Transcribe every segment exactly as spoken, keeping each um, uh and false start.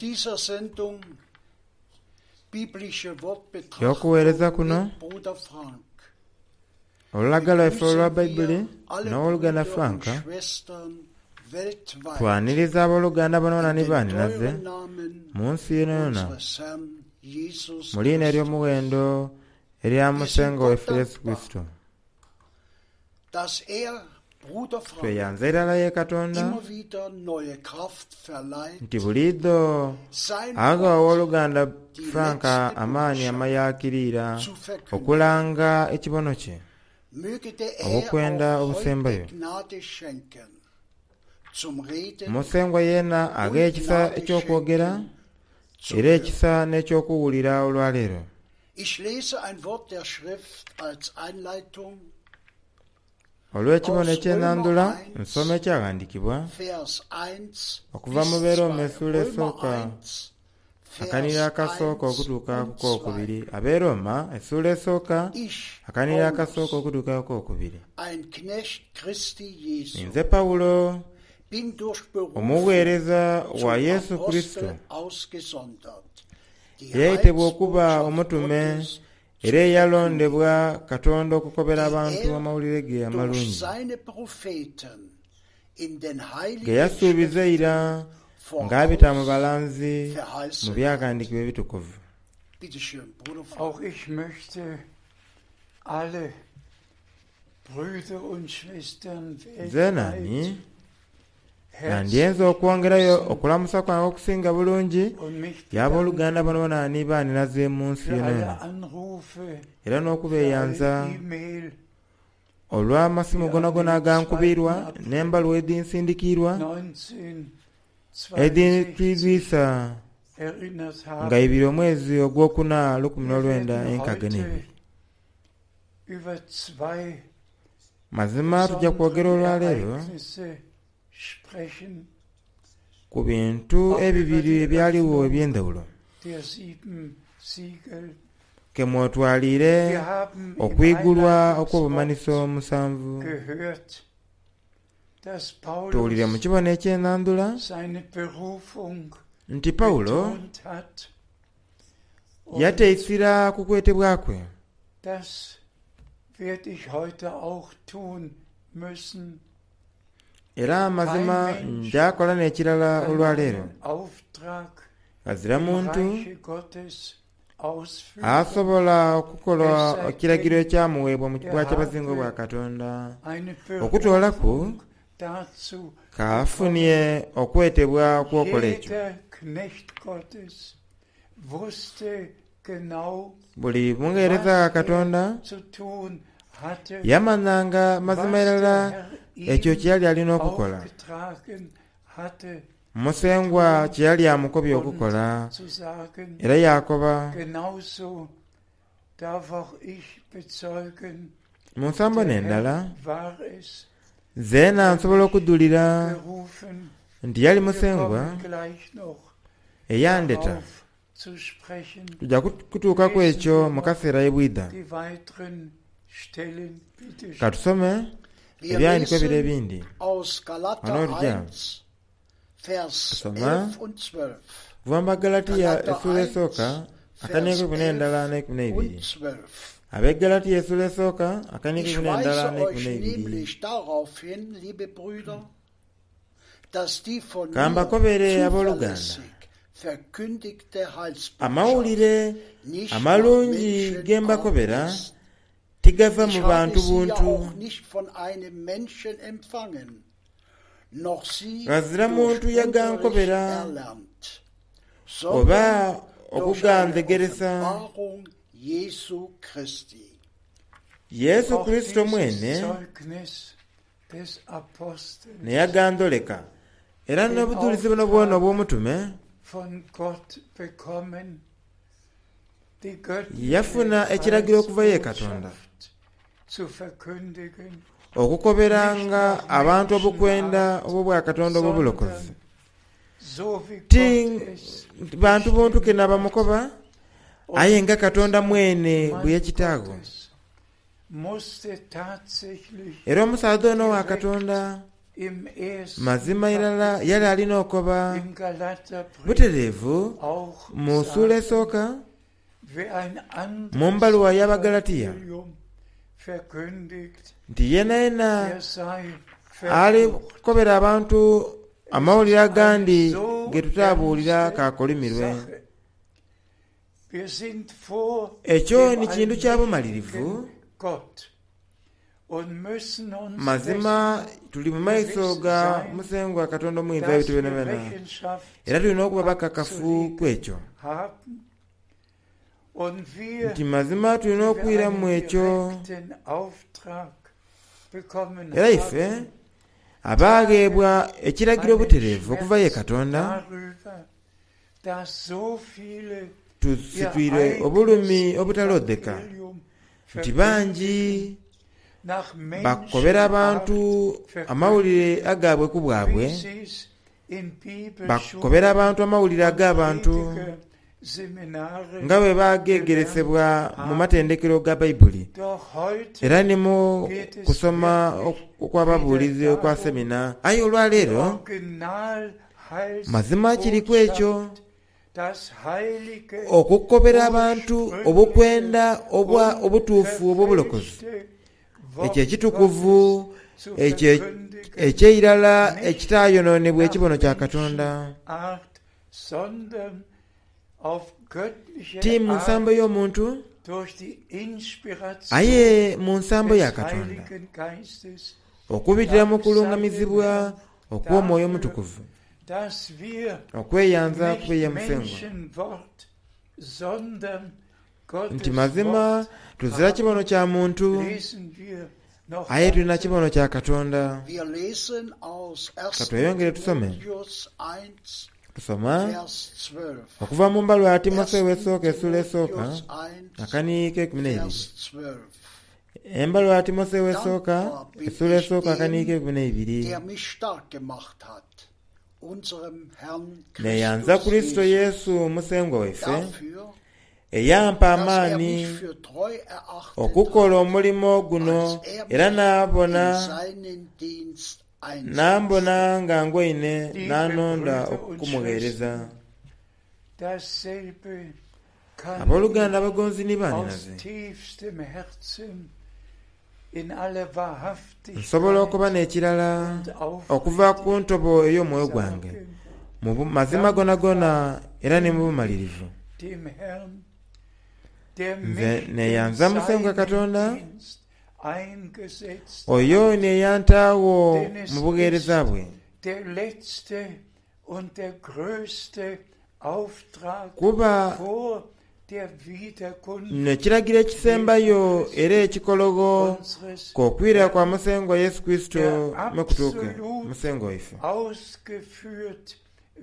Dieser Sendung biblische Wortbetrachtung Y'okuweereza kuno mit Bruder Frank. olulaga lwaife olwa Begrüßen Bayibuli wir alle n'oluganda Brüder und Franka Schwestern weltweit twaniriza abooluganda boona in ni den baaninaze teuren Namen mu nsi yonayona unseres Herrn Jesus mu liina Christus. ery'omuwendo erya Wir sind Musengo Gott waife Yesu dankbar, Kristo. dass er, Bruder Frank, Tweyanza irala ye Katonda immer wieder neue Kraft verleiht, nti buliidho sein agha Wort, owooluganda die Franka letzte amaanyi Botschaft, amayaakiriira zu verkünden. okulanga ekibono kye Möge der Herr obukwenda auch obusembayo. heute Gnade schenken zum Reden Musengwa yeena agha und ekisa Gnade eky'okwogera schenken zum era Hören. ekisa n'ekyokuwulira olwaleero. Ich lese ein Wort der Schrift als Einleitung Olw'ekibono aus Römer eky'ennandula nsoma eins, ekyaghandiikibwa Vers eins okuva bis mu Beeroma zwei. essuula Römer esooka eins, akanira Vers akasooka eins okutuuka ku und zwei. kookubiri. Abeeroma essuula esooka Ich, akanira akasooka Paulus, okutuuka ku kookubiri. ein Knecht Christi Jesu, Nze Pawulo bin durch Berufung omuweereza wa zum Yesu Kristo Apostel ausgesondert, die eyayitibwa okuba Heilsbotschaft omutume Gottes zu era verkündigen, eyalondebwa Katonda okukobera die abantu er amawulire ge durch amalungi seine Propheten in den ge heiligen yasuubiza Schriften eira ng'abita mu voraus balanzi mu verheißen hat. byaghandiikibwa ebitukuvu. Bitte schön, Bruder Frank. Auch ich möchte alle Brüder und Schwestern Zenaani weltweit nandyenza herzlich okwongerayo grüßen okulamusa kwange okusinga bulungi und mich y'abooluganda bedanken boona ni baaninaze mu nsi für alle yonayona Anrufe, era für alle n'okubeeyanza E-Mail, olw'amasimu die an gonagona den agankubirwa zweiten April n'embaluwa edhinsindikiirwa neunzehnhundertzweiundsechzig edhintwizwisa erinnert nga haben. ibiri omwezi ogwokuna lukumi Wir n'olwenda werden enkaaga heute n'ebiri. über zwei Mazima tujja kwogera besondere olwaleero Ereignisse sprechen, ku bintu auch über ebibiri die ebyaliwo Öffnung eby'endawulo der sieben Siegel. ke mwotwaliire Wir haben im okwigulwa okw'obumanhiso Einleitungswort omusanvu. gehört, dass Tuwulire mu Paulus kibono eky'ennandula seine Berufung nti Pawulo betont hat und yateisira ku kwetebwa kwe das werde ich heute auch tun müssen. era amazima Kein Mensch njakola n'ekirala kann olwaleero. einen Auftrag Ghazira im muntu Reiche Gottes ausführen, asobola es okukola sei ekiragiro denn, ekyamuweebwa mu er bwakyabazinga bwa habe Katonda eine okutoolaku Berufung dazu bekommen. kaafunye okwetebwa okwokola ekyo. Jeder Knecht Gottes wusste genau, Buli mugheereza wa was er Katonda zu tun hatte, yamanyanga mazima was der irala Herr ekyo ihm kye yali alina okukola. aufgetragen hatte zu Musengwa tun kye yali amukobye und okukola zu sagen. era yakoba Genauso darf auch ich bezeugen, mu nsambo der n'endala Herr war es, zeena der nsobola mich okudulira gerufen. nti yali Wir musengwa kommen gleich noch eyandeta. darauf zu sprechen. Tujja kutuukaku Lesen ekyo wir mu noch kaseera ebwidha. die weiteren Stellen, bitte schön. Katusome Wir ebyawandiikibwa bire lesen ebindi. aus Wano Galater tujja eins, Vers tusoma elf und zwölf. kuva mu Bagalatiya Galater essuula eins, esooka akaniiko Vers ekumi n'endala elf n'ekumi n'ebiri. und zwölf. Ab'egalatiya essuula esooka akaniiko Ich ekumi n'endala weise n'ekumi euch n'ebiri. nämlich darauf hin, liebe Brüder, dass die von mir Kambakobere abooluganda zuverlässig verkündigte Heilsbotschaft amawulire nicht nach amalungi ge Menschenart mbakobera ist. tigava mu Ich habe bantu sie ja buntu auch nicht von einem Menschen empfangen, noch sie ghazira durch muntu Unterricht yagankobera erlernt, oba sondern durch eine okugandegeresa Offenbarung Jesu Christi. Yesu Auch Kristo dieses mwene Zeugnis des Apostels, neyagandoleka era den n'obujulizi buno bwona Auftrag obw'omutume von Gott bekommen, die göttliche yafuna ekiragiro okuva ye Katonda Heilsbotschaft zu verkündigen, nicht okukoberanga nach abantu obukwenda Menschenart, obw'obwakatonda obw'obulokozi sondern so wie ti Gott es bantu buntu ke bestimmt hat. nabamukoba aye Und nga Katonda dieser mwene bwe Mann yakitaago Gottes musste tatsächlich era omusaadha ono wa direkt Katonda im ersten Mazima irala Kapitel yali alina okoba im Galaterbrief butereevu auch mu ssuula sagen, esooka wer ein mu anderes mbaluwa y'Abagalatiya Evangelium verkündigt, nti yeena yeena der sei ali verflucht. kukobera abantu Es amawulire ist eine agandi so ge tutaabuulira ernste kakolimirwe. Sache. Wir sind vor Ekyo dem ni kintu kya bumalirivu. allmächtigen Gott und müssen uns dessen Mazima tuli mu maiso gewiss ga sein, Musengwa Katonda omuyinza dass w'ebintu wir byonabyoona, Rechenschaft era tulina okuba bakakafu ku ekyo haben und wir, nti mazima tulina die wir okwiramu einen ekyo. direkten Auftrag bekommen Era ife haben, abaagheebwa ekiragiro einen obutereevu okuva ye Schmerz Katonda darüber, dass so viele ihr tusitwire eigenes obulumi obutalodheka Evangelium nti verkündigen, bangi nach bakobera abantu Menschenart amawulire verkündigen, agaabwe ku bwabwe, wie sie's in bakobera Bibelschulen abantu amawulire und ag'abantu Predigerseminare nga bwe gelernt bageegeresebwa mu haben. matendekero ga Bayibuli Doch heute era ne mu geht es kusoma wirklich wieder okw'ababuulizi okwa darum, semina. Aye die olwaleero mazima kiri ku ekyo Originalheilsbotschaft, das heilige, okukobera abantu obukwenda obwa obutuufu obw'obulokozi, unverfälschte ekyo Wort ekitukuvu Gottes zu ekyo verkündigen, eky'eirala nicht ekitaayonoonebwa nach ekibono kya Katonda, Menschenart, sondern auf göttliche ti mu nsambo Art y'omuntu durch die Inspiration aye mu nsambo ya des Katonda Heiligen Geistes. okubitira mu Dank sei dem kulungamizibwa Herrn okw'omwoyo dafür, omutukuvu. dass wir Okweyanza nicht kwe Musengwa Menschenwort, sondern nti Gottes mazima Wort tuzira kibono haben. kya muntu Lesen wir noch aye tulina weiter. kibono kya Katonda. Wir lesen aus Ka tweyongere tusome. erster Timotheus eins, Tusoma Vers zwölf. okuva mu mbaluwa ya Timoseewo esooka essuula esooka Timotheus eins, akaniiko ekumi n'ebiri. Vers zwölf. Embaluwa ya Timoseewo esooka Dankbar bin essuula ich esooka akaniiko dem, ekumi n'ebiri. der mich stark gemacht hat, unserem Herrn Neeyanza Christus Kristo Jesus, Yesu Musengwa waife dafür, eyampa dass er amaanyi mich für treu erachtet okukola hat, omulimo guno als er era mich in n'abona seinen Dienst einsetzte. n'ambona nga ngwaine Liebe n'anonda Brüder und okumuweereza. Schwestern, dasselbe kann Abooluganda ich abagonzi ni aus bannyinaze, tiefstem Herzen in aller nsobola okuba Wahrhaftigkeit n'ekirala und okuva ku aufrichtig ntobo ey'omwoyo gwange sagen, mu bu- mazima gonagona era ne mu bumalirivu. dem Herrn, der Nze mich in neeyanza Musengwa seinen Katonda Dienst eingesetzt oyo hat, neyantaawo denn es mu buweereza ist bwe, der letzte und der größte Auftrag kuba vor der Wiederkunft nno ekiragiro ekisembayo Jesu era Christi ekikologo unseres k'okwira kwa Herrn, Musengwa Yesu Kristo der mwe kutuuke absolut Musengwa waife. ausgeführt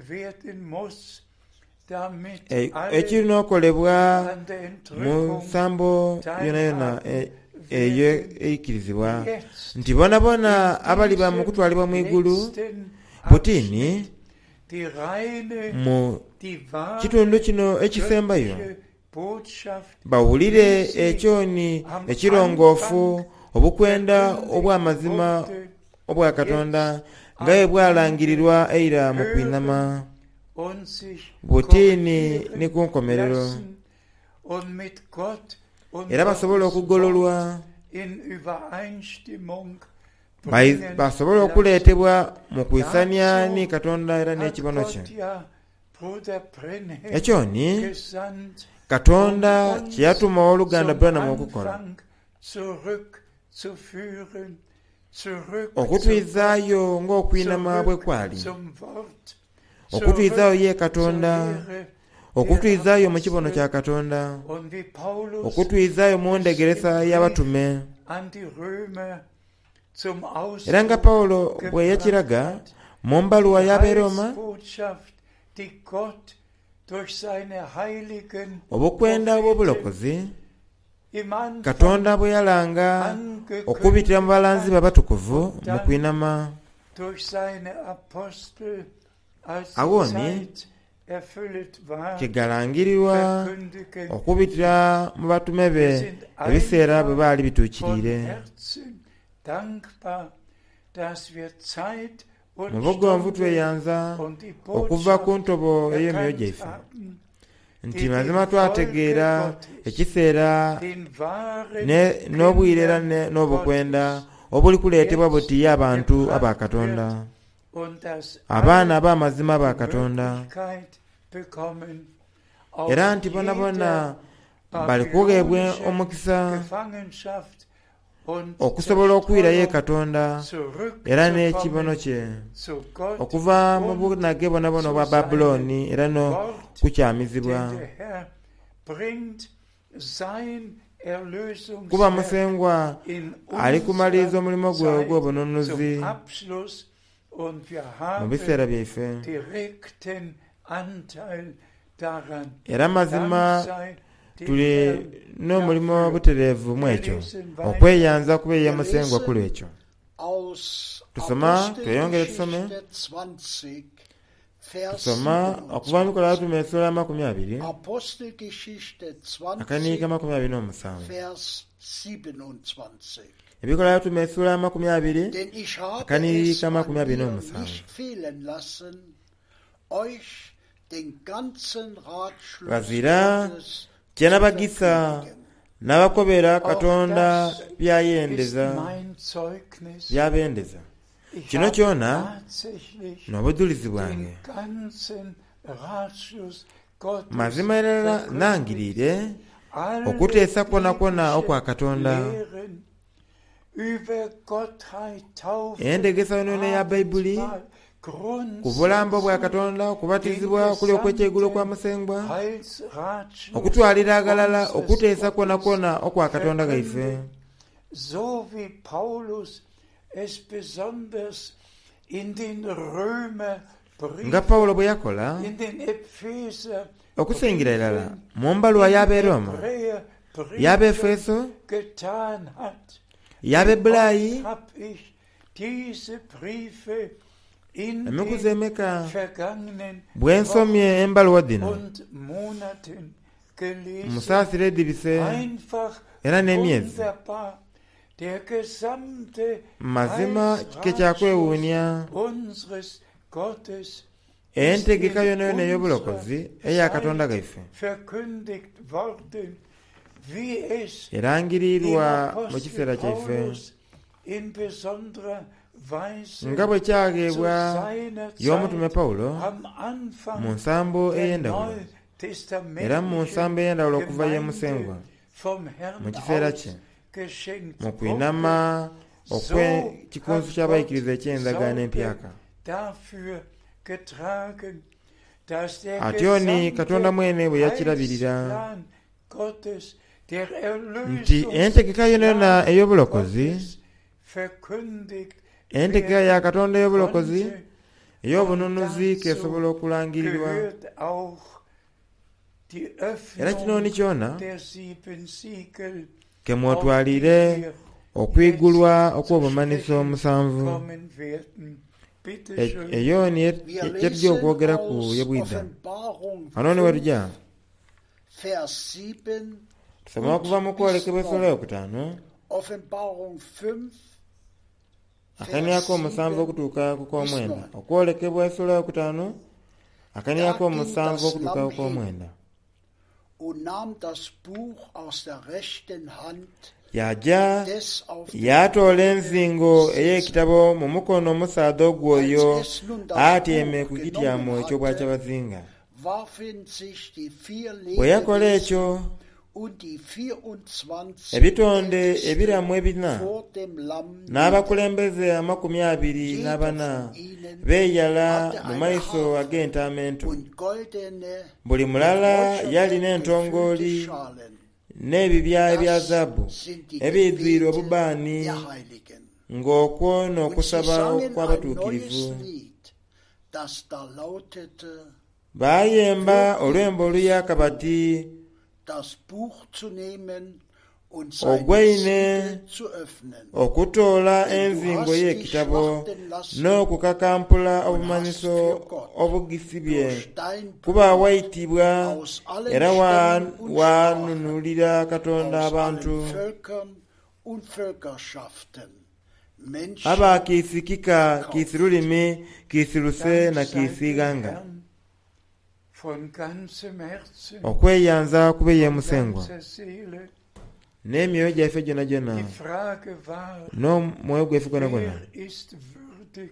werden muss, damit E- alle, Ekirina okolebwa die an der mu Entrückung nsambo yonayona teilhaben e- eyo werden, eikirizibwa jetzt nti bonabona in abaliba mu diesem kutwalibwa mu igulu letzten butini Abschnitt die reine, mu die wahre kitundu kino ekisembayo göttliche Botschaft, bawulire wie sie ekyoni am ekirongoofu Anfang obukwenda verkündigt obw'amazima wurde, obwa Katonda jetzt nga bwe am Ende bwalangirirwa eira mu hören kwinama und sich butiini ne korrigieren ku nkomerero lassen und mit Gott und era basobole Gottes Wort okugololwa in Übereinstimmung bai- bringen basobole lassen. okuleetebwa mu kwisanya ni Dazu Katonda era hat n'ekibono kye. Gott ja Bruder Branham Ekyo ni gesandt, um Katonda kye uns yatuma owooluganda zum Branham okukola Anfang zurückzuführen, zurück zu Gott, okutwizaayo ng'okwinama bwe zurück kwali, zum Wort, okutwizaayo zurück ye zur Katonda, Lehre der okutwizaayo mu kibono Apostel kya Katonda, und wie Paulus okutwizaayo mu es im ndegeresa Brief y'abatume. an die Römer zum Era nga Ausdruck Pawulo bwe gebracht yakiraga hat, mu mbaluwa die y'Abeeroma, Heilsbotschaft, die Gott durch seine heiligen obukwenda Propheten obw'obulokozi im Anfang Katonda bwe yalanga okubitira mu angekündigt balanzi be hat abatukuvu und mu dann kwinama. durch seine Apostel, als die Awo ni Zeit erfüllt war, kyegalangirirwa verkündigen. okubitira mu batume Wir be sind ebiseera bwe einfach baali von bituukiriire. Herzen dankbar, dass wir Zeit und Mu bugonvu Stunde tweyanza und die okuva ku Botschaft ntobo ey'emyoyo erkannt gyaife haben, nti mazima twategeera ekiseera den wahren ne- n'obwire era ne- Kindern n'obukwenda Gottes obuli kuleetebwa buti abantu aba Katonda, und dass abaana alle ab'amazima aba die Katonda, Möglichkeit bekommen, aus era nti bonabona jeder bali kugheebwa babylonische omukisa Gefangenschaft und okusobola okwirayo e Zerstreuung Katonda era n'ekibono zurückzukommen kye zu Gott okuva mu und bunage bonabona zu obwa seinem Babulooni era Wort, n'okukyamizibwa. denn der Herr bringt sein Kuba Erlösungswerk Musengwa in ali kumaliriza unserer omulimu gwe Zeit ogw'obununuzi zum Abschluss und wir mu haben biseera byaife. direkten Anteil daran. Era mazima Dank sei dem tuli Herrn n'omulimu dafür. obutereevu mu Wir ekyo, lesen weiter okweyanza kubeeya Wir Musengwa ku lesen lw'ekyo. aus Tusoma, tweyongere tusome. Apostelgeschichte zwanzig, Vers Tusoma okuva mu Bikola siebenundzwanzig. Abatume essula amakumi abiri Apostelgeschichte akaniika zwanzig, amakumi abiri n'omusanvu. Vers siebenundzwanzig. Ebikola Abatume essula amakumi abiri Denn ich habe es akaniika an amakumi abiri mir n'omusanvu. nicht fehlen lassen, euch den ganzen Ratschluss Ghazira Gottes kye zu nabagisa verkündigen. n'abakobera Auch Katonda das ist byayendeza mein Zeugnis. byabendeza. Ich Kino habe kyona tatsächlich n'obujulizi bwange. den ganzen Ratschluss Gottes Mazima irala verkündigt. nangirire Alle okuteesa kwona kwona okwa biblischen Katonda. Lehren über Gottheit, Taufe, Endegesa yonayona eya Bayibuli Abendmahl, ku bulambo bwa grundsätzlich Katonda, den okubatizibwa okuli okw'ekyegulo kwa gesamten Musengwa, Heilsratschluss okutwalira aghalala unseres okuteesa kwona Gottes kwona okwa Katonda gaife. verkündigt, so wie Paulus es besonders in den Nga Römerbriefen, Pawulo bwe yakola in den okusingira irala Epheserbriefen, mu mbaluwa in y'ab'e Roma, y'ab'e Hebräerbriefen Efeso, getan hat. y'ab'e Wie Bulayi, oft hab ich diese Briefe in emikuzi den emeka vergangenen bwe nsomye Wochen embaluwa dhino und Monaten gelesen. musaasira edibise Einfach era n'emyezi. wunderbar. Der gesamte Mazima kike Heilsratschluss kyakwewuunya unseres Gottes ist entegeka in yonayona ey'obulokozi unserer eya Katonda Zeit gaife verkündigt worden, wie es dem erangirirwa mu Apostel kiseera kyaife Paulus in besonderer Weise nga bwe zu kyageebwa seiner y'omutume Zeit Pawulo am mu Anfang nsambo der ey'endawulo era mu nsambo neutestamentlichen ey'endawulo okuva ye Gemeinde Musengwa vom mu Herrn kiseera aus kye geschenkt mu wurde. kwinama So okw'ekikunsu hat ky'abayigiriza Gott eky'endagaano Sorge empyaka. dafür getragen, dass der Atyo ni Katonda gesamte mwene bwe yakirabirira Heilsplan Gottes, der nti entegeka yonayona Erlösungsplan ey'obulokozi, Gottes verkündigt entegeka werden ya Katonda ey'obulokozi konnte. Und ey'obununuzi dazu k'esobola okulangirirwa. gehört auch die Era kino Öffnung ni kyona der sieben Siegel, ke auf die mwotwalire wir okwigulwa jetzt zu okw'obumanhiso sprechen omusanvu. kommen werden. Bitte E- schön. Eyo ni Wir kyetujja lesen okwogeraku aus ye bwidha. Offenbarung Wano ni fünf, wetujja Vers sieben tusoma okuva mu und bis kwolekebwa essula neun. eyokutaano Offenbarung fünf, akaniako Vers omusanvu sieben okutuuka ku bis k'omwenda. neun. Okwolekebwa essula eyokutaano Da akaniako ging omusanvu das okutuuka Lamm ku k'omwenda. hin und nahm das Buch aus der rechten Hand Yajja des auf dem yaatoola Throne enzingo Sitzenden. ey'ekitabo mu mukono omusaadha ogw'oyo Als es nun das atyeme Buch ku kityamo genommen eky'obwakyabazinga. hatte, warfen sich die vier Bwe yakola Lebewesen ekyo und die vierundzwanzig ebitonde Ältesten ebiramu ebina vor dem Lamm nieder. n'abakulembeze amakumi abiri Jeder n'abana von ihnen beeyala hatte mu eine maiso Harfe ag'entaama ento. und goldene, Buli mit mulala yalina Räucherwerk gefüllte entongooli Schalen. n'ebibya ebya Das zaabu sind die ebijwire Gebete obubaani der Heiligen. ng'okwo Und sie n'okusaba sangen ein neues kw'abatuukirivu. Lied, das da lautete, Baayemba würdig olwembo bist oluyaka du, bati das Buch zu nehmen und seine ogwaine Siegel zu öffnen. okutoola Denn du enzingo hast dich y'ekitabo schlachten lassen n'okukakampula und hast obumanhiso für Gott obugisibye durch dein kuba Blut waitibwa aus allen era wa- Stämmen und Sprachen, wanunulira Katonda aus abantu allen Völkern und Völkerschaften Menschen Aba kiisi kika, kiisi lulimi, kiisi luse Dank na sei kiisi dem ighanga. Herrn von ganzem Herzen, Okweyanza kube ye von Musengwa ganzer Seele. n'emyoyo gyaife gyonhagyona Die Frage war, n'omwoyo gwaife gwonagwona. wer ist würdig,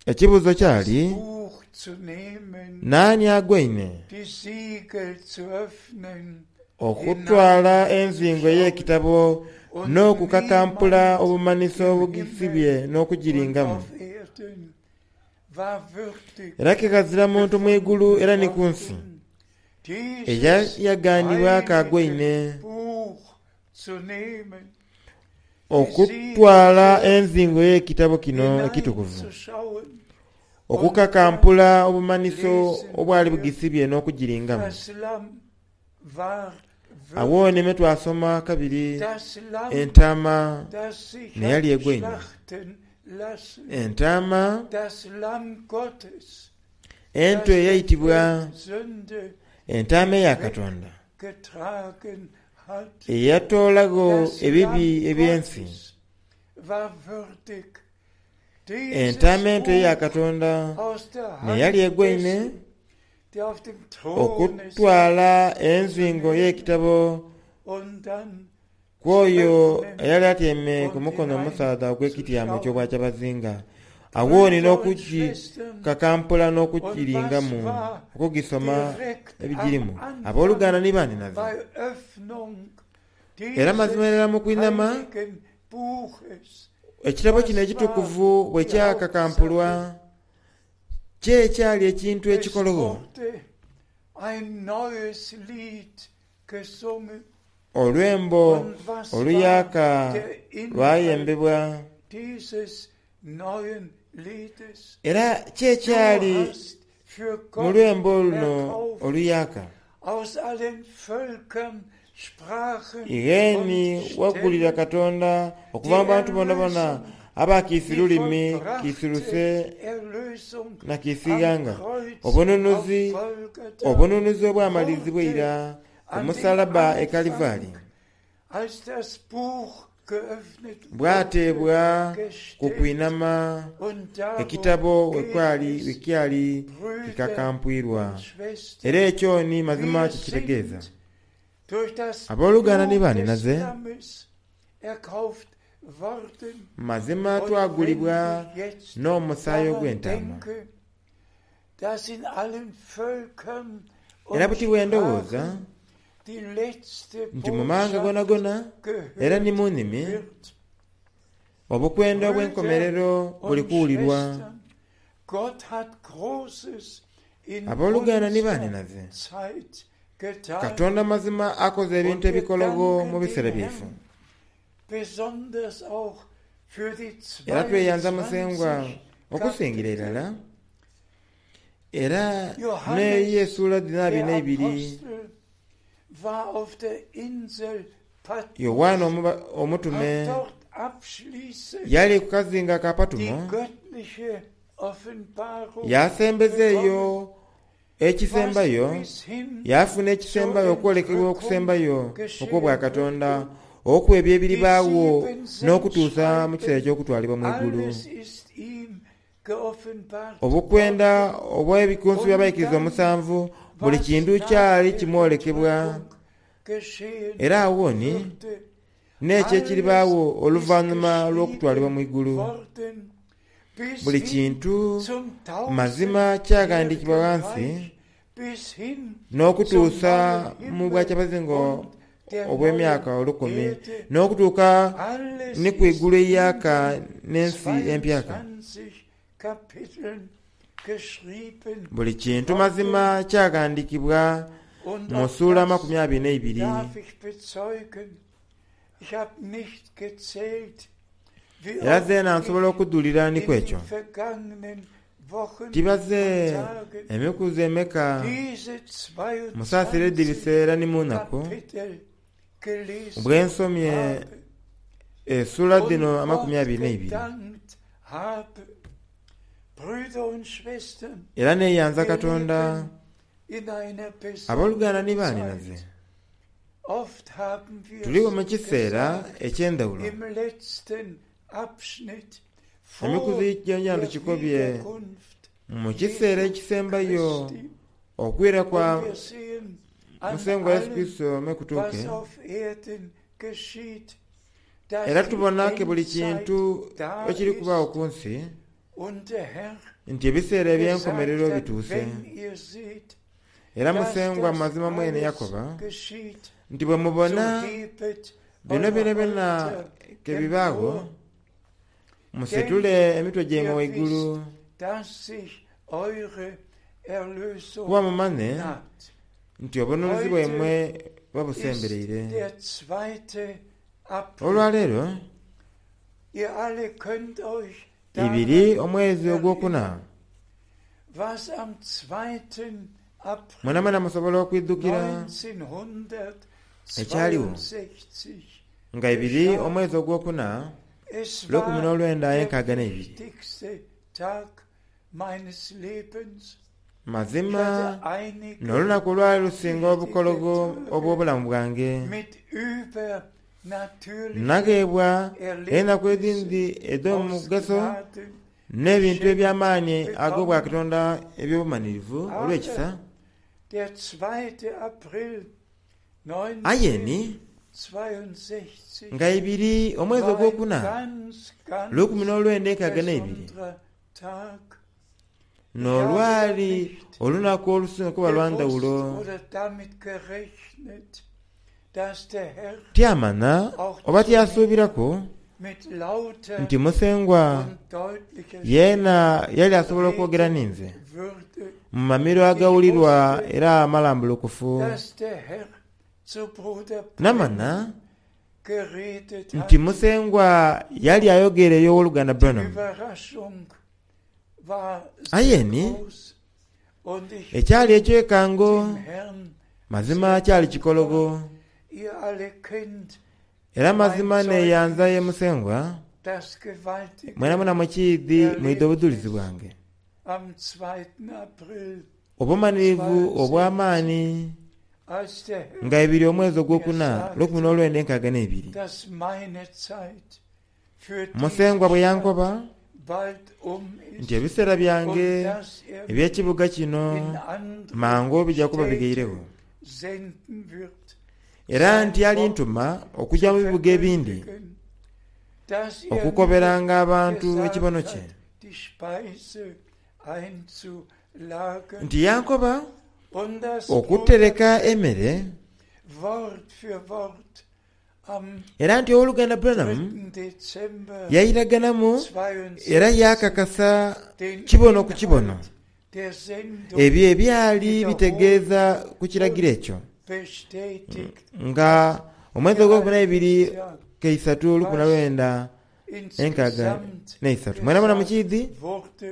Ekibuuzo das kyali, Buch zu nehmen, naani agwaine die Siegel zu öffnen okutwala enzingo ey'ekitabo und n'okukakampula niemand obumanhiso im obugisibye Himmel und n'okugiringamu. auf Erden war würdig Era kikazira muntu mu igulu era ni ku nsi gefunden, dieses eyayagaanibwa agwaine heilige Buch zu nehmen, okutwala enzingo y'ekitabo kino ekitukuvu, hineinzuschauen, okukakampula obumanhiso obwali bugisibye n'okugiringamu. Das Lamm war Awo würdig, nime twasoma kabiri das Lamm, entaama das sich naye yali hat egwaine. schlachten lassen, Entaama das Lamm Gottes, ento das der eyayitibwa Welt Sünde entaama eya Katonda getragen hat. eyatoolagho Das ebibi Lamm eby'ensi. Gottes war würdig, dieses Entaama ento eya Buch Katonda aus der naye yali Hand egwaine dessen, der auf dem Throne sitzt, okutwala enzingo y'ekitabo und dann kw'oyo zu öffnen eyali atyaime ku und mukono omusaadha ogw'ekityamo hineinzuschauen. eky'obwakyabazinga. Awo ni Brüder und Schwestern, n'okugikakampula und was n'okugiringamu war okugisoma direkt am ebigirimu. Anfang Abooluganda ni baaninaze, bei Öffnung era mazima dieses ddala mu kwinama heiligen Buches? ekitabo kino Was war ekitukuvu bwe die kyakakampulwa Hauptsache? ki ekyali ekintu Es ekikologho? wurde ein neues Lied gesungen. Olwembo Und was war oluyaaka der Inhalt lwayembebwa. dieses neuen Liedes? Era ki Du ekyali hast für mu Gott lwembo luno erkauft oluyaaka? aus allen Völkern, Sprachen Igheni und wagulira Stämmen Katonda okuva die mu bantu boonaboona Erlösung, aba kiisi die lulimi, kiisi vollbrachte luse Erlösung na kiisi am ighanga. Kreuz auf Obununuzi Golgatha obununuzi obwamalizibwa wurde eira ku an dem musalaba e Kalivaali Anfang, als das Buch geöffnet wurde, bwateebwa ku gestellt. kwinama Und darum ekitabo geht wekwali es, wekyali Brüder kikakampwirwa. und Schwestern. Era ekyo ni mazima Wir kikitegeeza. sind durch das Abooluganda ni Blut des baaninaze, Lammes erkauft worden. mazima Und wenn twagulibwa ich jetzt n'omusaayi daran ogw'entaama. denke, dass in allen Völkern Era und buti bwe ndowooza Sprachen die letzte nti mu mawanga Botschaft gonagona era ni gehört mu nnimi wird. obukwenda Brüder obw'enkomerero buli und kuwulirwa. Schwestern, Gott hat Großes in Abooluganda ni unserer baaninaze, Zeit getan. Katonda mazima akoze Und ebintu wir ebikologo mu danken biseera dem byaife. Herrn besonders auch für die Era tweyanza Musengwa zweiundzwanzig okusingira Kapitel. irala era Johannes, n'eyo essuula dhino abiri der n'eibiri Apostel, war auf der Insel Patmos, Yowaana omuba- omutume hat dort abschließend yali ku kazinga ka die Patumo göttliche Offenbarung yasembeza eyo bekommen, was ekisembayo bis hin yafuna zur ekisembayo okwolekebwa Entrückung okusembayo geschehen okw'obwakatonda würde. okuwa ebyo Die ebiribaawo sieben n'okutuusa mu kiseera Sendschreiben, eky'okutwalibwa mu ggulu. alles ist ihm geoffenbart Obukwenda worden. obw'ebikunsu Und by'abayigiriza dann, omusanvu buli was kintu nach kyali der kimwolekebwa. Entrückung geschehen Era awo ni würde, n'ekyo alles ekiribaawo ist oluvannyuma lw'okutwalibwa mu geschrieben ggulu. worden, bis Buli hin kintu zum mazima kyaghandiikibwa tausendjährigen ghansi Reich, bis hin zum n'okutuusa neuen mu Himmel bwakyabazinga und der neuen obw'emyaka olukumi Erde. n'okutuuka Alles ni ku ist igulu in eryaka den n'ensi empyaka. zweiundzwanzig Kapiteln geschrieben Buli kintu worden. mazima kyaghandiikibwa Und mu auch ssuula das amakumi abiri n'eibiri. darf ich bezeugen. Ich habe nicht gezählt, wie Era oft zeena nsobola ich okudulira ni in ku den ekyo. vergangenen Wochen Tibaze und Tagen emikuzi emeka diese musaasira zweiundzwanzig eddirisa era ni mu nnaku Kapitel gelesen bwe nsomye habe essuula dhino und amakumi Gott abiri n'eibiri. gedankt habe. Brüder und Schwestern, Era neeyanza wir Katonda leben in einer abooluganda ni besonderen baaninaze. Zeit. Oft haben wir Tuliwo mu es kiseera gesagt eky'endawulo. im letzten Abschnitt Emikuzi gyonja der tukikobye Wiederkunft mu kiseera Jesu ekisembayo Christi. okwira kwa Und wir sehen an Musengwa Yesu allem, Kristo mekutuuke was auf Erden geschieht, dass era die tubona ke buli Endzeit kintu da ekiri kubaawo ist ku nsi und der Herr nti ebiseera eby'enkomerero gesagt hat, bituuse wenn ihr seht, era dass Musengwa das mazima mwene alles yakoba geschieht, nti bwe so mubona hebet bino eure byona byona Häupter ke bibaawo empor, musitule emitwe gyammwe ihr waggulu wisst, dass sich eure Erlösung kuba mumanye naht. nti obununuzi bwammwe Ist babusembereire der zweite April. Olwaleero Ihr alle könnt euch ibiri daran omwezi ogwokuna erinnern, was am zweiten April mwena mwena musobola okwiddukira Ekyaliwo. neunzehnhundertzweiundsechzig nga ibiri omwezi ogwokuna Es lwekumi war n'olwenda der enkaaga n'ebiri wichtigste Tag meines Lebens. Ich mazima hatte einige n'olunaku olwali lusinga obukologo obw'obulamu bwange mit übernatürlichen nnageebwa ennaku ezindi Erlebnissen aus ez'omugaso Gnaden n'ebintu eby'amaanyi ag'obwakatonda eby'obumalirivu olw'ekisa Aber der zweite April ayeni neunzehnhundertzweiundsechzig nga ibiri omwezi war ein ogwokuna ganz, ganz lwekumi n'olwenda enkaaga n'ebiri besonderer Tag. n'olwali olunaku olusinga kuba lwandawulo Gewusst oder damit gerechnet, dass der Herr tyamana oba tyasuubirako mit lauter nti musengwa und deutlicher yeena yali asobola okwogera ninze würde, mu mamiro agawulirwa era amalambulukufu dass der Herr zu Bruder namana geredet nti hat. musengwa yali ayogera ey'owoluganda Die Branham Überraschung war sehr Ayeni, groß und ich ekyali ekyekango dem Herrn, mazima kyali kikologo ihr alle kennt era mazima neeyanza ye musengwa das gewaltige mwena mwena mukiidhi mwidde obujulizi bwange am zweiten April, obumalirivu obw'amaanyi als der Herr nga ibiri omwezi ogwokuna lwekumi n'olwenda enkaaga n'ebiri dass meine Zeit für musengwa bwe diese yankoba Stadt bald um nti ist ebiseera byange und dass er eby'ekibuga kino in andere mangu bijja kuba Städte bigeirewo senden wird, era nti yali ntuma okujja mu bibuga ebindi verkündigen, dass er okukoberanga mir abantu gesagt ekibono kye hat, die Speise einzulagern nti yankoba und dass okutereka emmere Wort für Wort am era nti owooluganda Branham dritten Dezember yayiraganamu era zweiundsechzig yakakasa den kibono ku kibono Inhalt der Sendung ebyo ebyali bitegeeza ku kiragiro ekyo bestätigt nga omwezi ogwokumi n'ebiri ja, keisatu lukumi na lwenda enkaaga insgesamt n'eisatu mwena mwena mukiidhi gesagt wurde.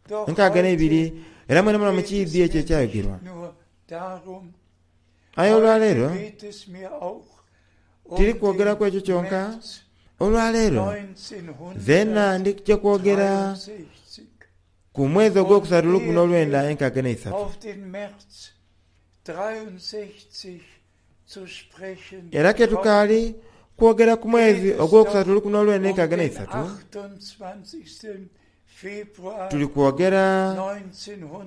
Doch enkaaga heute n'ebiri era mwena mwena geht es mukiidhi mir ekyo ekyayogerwa nicht nur darum, aye olwaleero heute geht es mir auch um tiri kwogera ku den ekyo kyonka März olwaleero zeena ndikujja kwogera neunzehnhundertdreiundsechzig ku mwezi ogwokusatu lukumi n'olwenda enkaaga n'eisatu auf den März dreiundsechzig zu sprechen era ke tukaali kwogera ku mwezi ogwokusatu lukumi n'olwenda um enkaaga den n'eisatu achtundzwanzigsten Februar tuli kwogera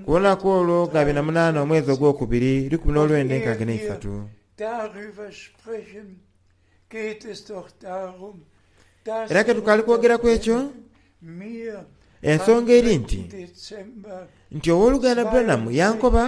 ku lunaku olwo ga bina munaana omwezi ogwokubiri lukumi n'olwenda enkaaga n'eisatu Darüber sprechen geht es doch darum, dass era ke tukaali kwogera ku ekyo mir ensonga am eri nti dritten Dezember nti owooluganda Branham yankoba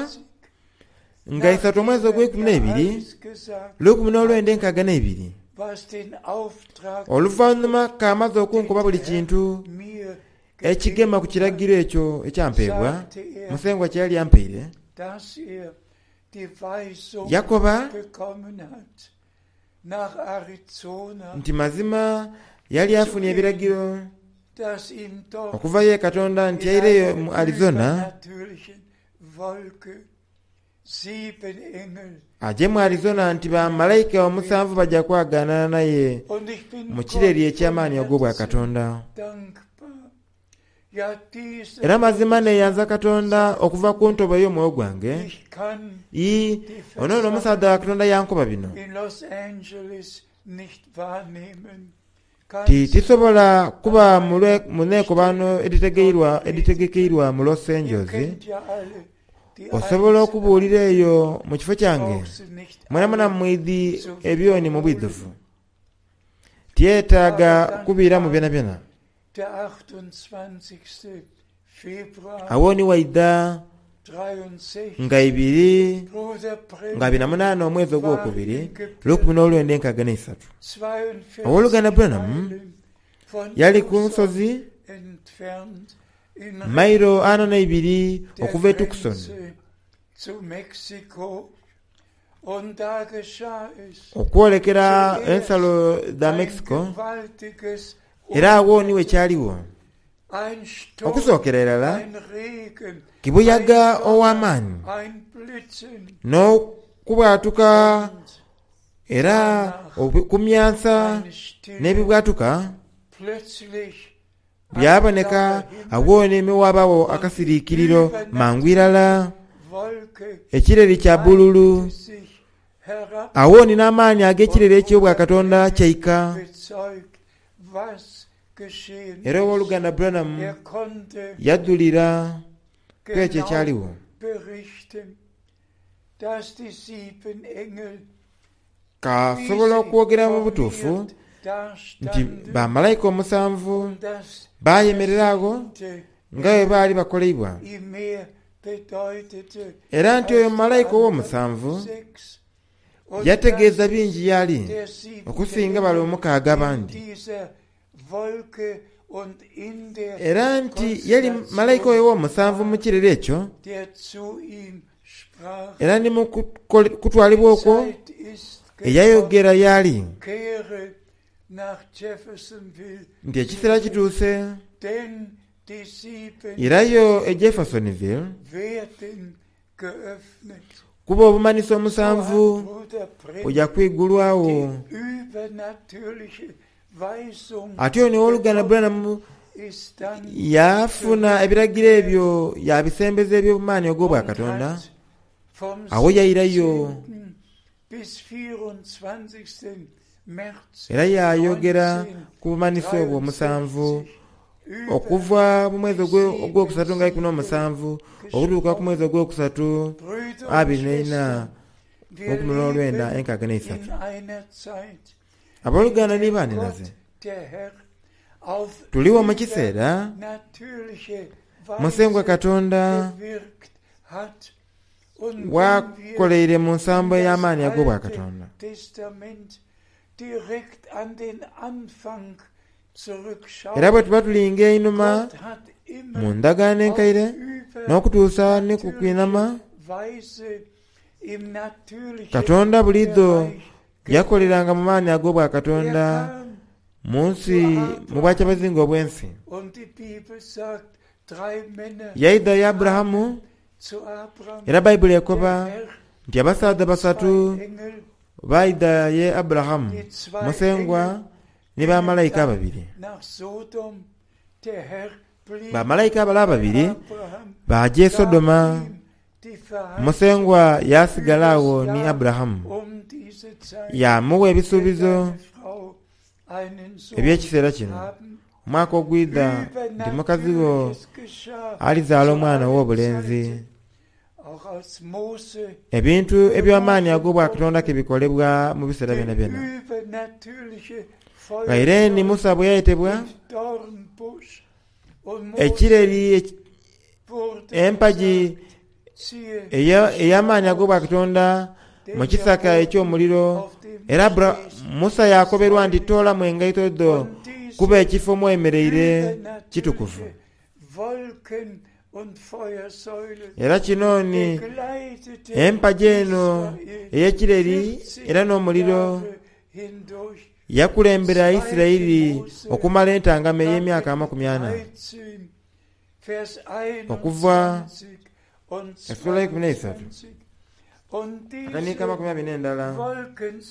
nga isatu omwezi ogw'ekumi n'ebiri alles gesagt, lukumi n'olwenda enkaaga n'ebiri was den Auftrag oluvannyuma kamaze okunkuba buli kintu mir ekigema ku gegeben kiragiro hat, ekyo ekyampeebwa sagte er, musengwa kye yali ampeire dass er die Weisung yakoba bekommen hat, nach Arizona, nti mazima yali afunye ebiragiro dass ihm dort okuva ye Katonda nti in yaireyo einer mu Arizona übernatürlichen Wolke sieben Engel aje mu Arizona nti bamalayika omusanvu bajja kwagaanana naye und ich bin mu kireri Gott von eky'amaanyi ag'obwa Herzen Katonda dankbar. Ja, diese era mazima neeyanza Katonda okuva ku ntobo ey'omwoyo gwange ich kann ii ono nno omusaadha wa Katonda yankoba bino in Los Angeles nicht wahrnehmen. Ti tisobola kuba mu neekobano editegekeirwa mu Los Angeles. Osobola okubuulira eyo mu kifo kyange mwenamwena mwidhi ebyoni mu bwidhuvu. Tyetaaga kubiiramu byonabyona. Awo ni waidha nga ibiri nga abiri na munaana omwezi ogwokubiri lukumi n'olwenda enkaaga n'eisatu. Ow'oluganda Branham yali ku nsozi mailo ana n'eibiri okuva e Tucson okwolekera ensalo dha Mexico, era agho ni wekyaligho. Okusookera irala kibuyaga ow'amaani n'okubwatuka era okumyansa n'ebibwatuka byaboneka. Agho ni ghabagho akasiriikiriro mangu irala, ekireri kya bululu. Agho ni n'amaani ag'ekireri eky'obwakatonda kyaika. Era ow'oluganda Branham yadhulira ku ekyo ekyaligho. Kasobola okwogera mu butuufu nti bamalayika omusanvu bayemerera agho nga bwe baali bakoleibwa, era nti oyo malayika ow'omusanvu yategeeza bingi y'ali okusinga bale omukaaga abandi. Era nti yali malayika oyo ow'omusanvu mu kireri ekyo, era ni mu kutwalibwa okwo eyayogera y'ali nti ekiseera kituuse irayo e Jeffersonville kuba obumanhiso omusanvu buja kwigulwagho. Atyo ni ow'oluganda Branham yafuna ebiragiro ebyo yabisembeza eby'obumaani ogw'obwakatonda. Agho yairayo era yayogera ku bumanhiso obwo omusanvu okuva mu mwezi ogwokusatu nga ikumi n'omusanvu okutuuka ku mwezi ogwokusatu abiri n'eina lukumi n'olwenda enkaaga n'eisatu. Abooluganda ni banhinaze, tuligho mu kiseera Musengwa Katonda wakoleire mu nsambo ey'amaani ag'obwakatonda. Era bwe tuba tulinga einhuma mu ndagaano enkaire n'okutuusa ni ku kwinhama, Katonda buliidho yakoleranga mu maani ag'obwakatonda mu nsi mu bwakyabazinga obw'ensi. Yaidha ye Aburahamu, era Baibuli ekoba nti abasaadha basatu baidha ye Aburahamu, Musengwa ni bamalayika ababiri. Bamalayika bale ababiri baaja e Sodoma, Musengwa yaasigala agho ni Aburahamu, yaamugha ebisuubizo eby'ekiseera kino. Omwaka ogwidha nti mukazi wo alizaala omwana ow'obulenzi. Ebintu eby'amaani ag'obwakatonda ke bikolebwa mu biseera byonabyona. Ghaire ni Musa bwe yayetebwa, ekireri empagi ey'amaani ag'obwakatonda mu kisaka eky'omuliro, era Musa yakoberwa nti toolamu engaito dho kuba ekifo mw'oyemereire kitukuvu. Era kino ni empagi eno ey'ekireri era n'omuliro yakulembera Isiraeli okumala entangama ey'emyaka amakumi ana okuva esula eikumi n'eisatu akaniiko amakumi abiri n'endala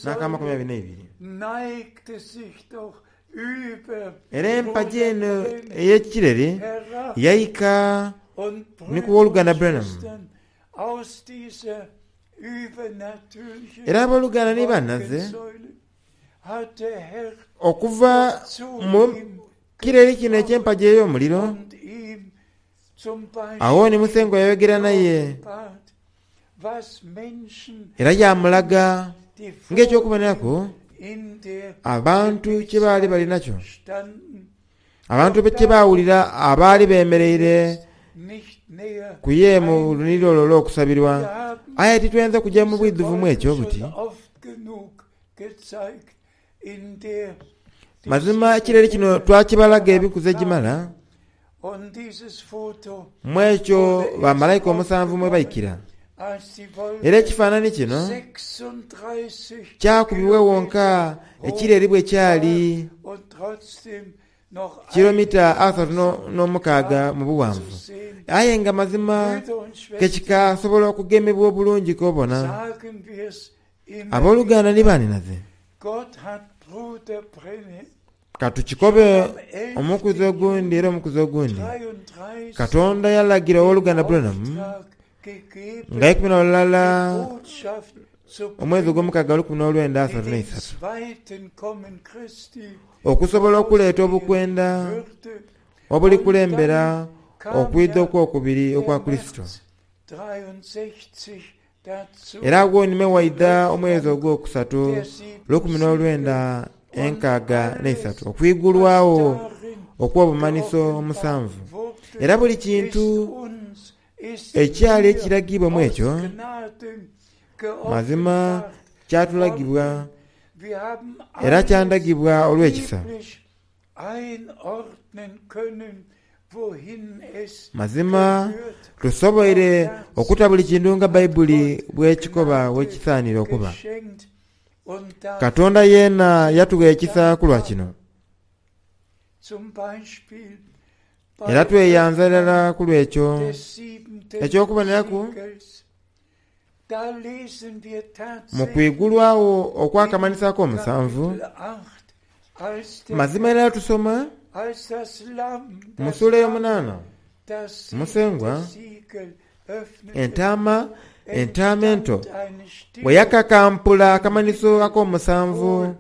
n'akamakumi abiri n'eibiri. Era empagi eno ey'ekireri yaika ni ku w'oluganda Branham. Era abooluganda ni banhaze, Okuva mu kireri kino eky'empagi ey'omuliro, awo ni Musengwa yayogera naye era yamulaga ng'ekyokuboneraku abantu kye baali bali nakyo, abantu kye baawulira abaali bemereire ku ye mu luniriro olwo olw'okusabirwa. Aye titwenza kujja mu bwidhuvu mu ekyo buti. Mazima ekireri kino twakibalaga ebikuzi egimala, mu ekyo bamalayika omusanvu mwe baikira. Era ekifaananyi kino kyakubibwa wonka ekireri bwe kyali kilomita asatu n'omukaaga mu buwanvu. Aye nga mazima kekikasobola okugemebwa obulungi kobona. Abooluganda ni baninaze, katukikobe omukuzi ogundi era omukuzi ogundi. Katonda yalagira owooluganda Branham nga ikumi na lulala omwezi ogw'omukaaga lukumi n'olwenda asatu n'eisatu okusobola okuleeta obukwenda obulikulembera okwidha okwokubiri okwa Kurisito. Era agwo nime waidha omwezi ogwokusatu lukumi n'olwenda enkaaga n'eisatu okwigulwawo okw'obumanhiso omusanvu. Era buli kintu ekyali ekiragibwa mu ekyo mazima kyatulagibwa era kyandagibwa olw'ekisa. Mazima tusoboire okuta buli kintu nga Baibuli bwekikoba bwekisaanire okuba. Katonda yeena yatugha ekisa ku lwa kino. Era tweyanza irala ku lw'ekyo. Eky'okuboneraku mu kwigulwawo okw'akamanhiso ak'omusanvu, mazima irala tusoma mu sula ey'omunaana, Musengwa entaama entaama ento bwe yakakampula akamanhiso ak'omusanvu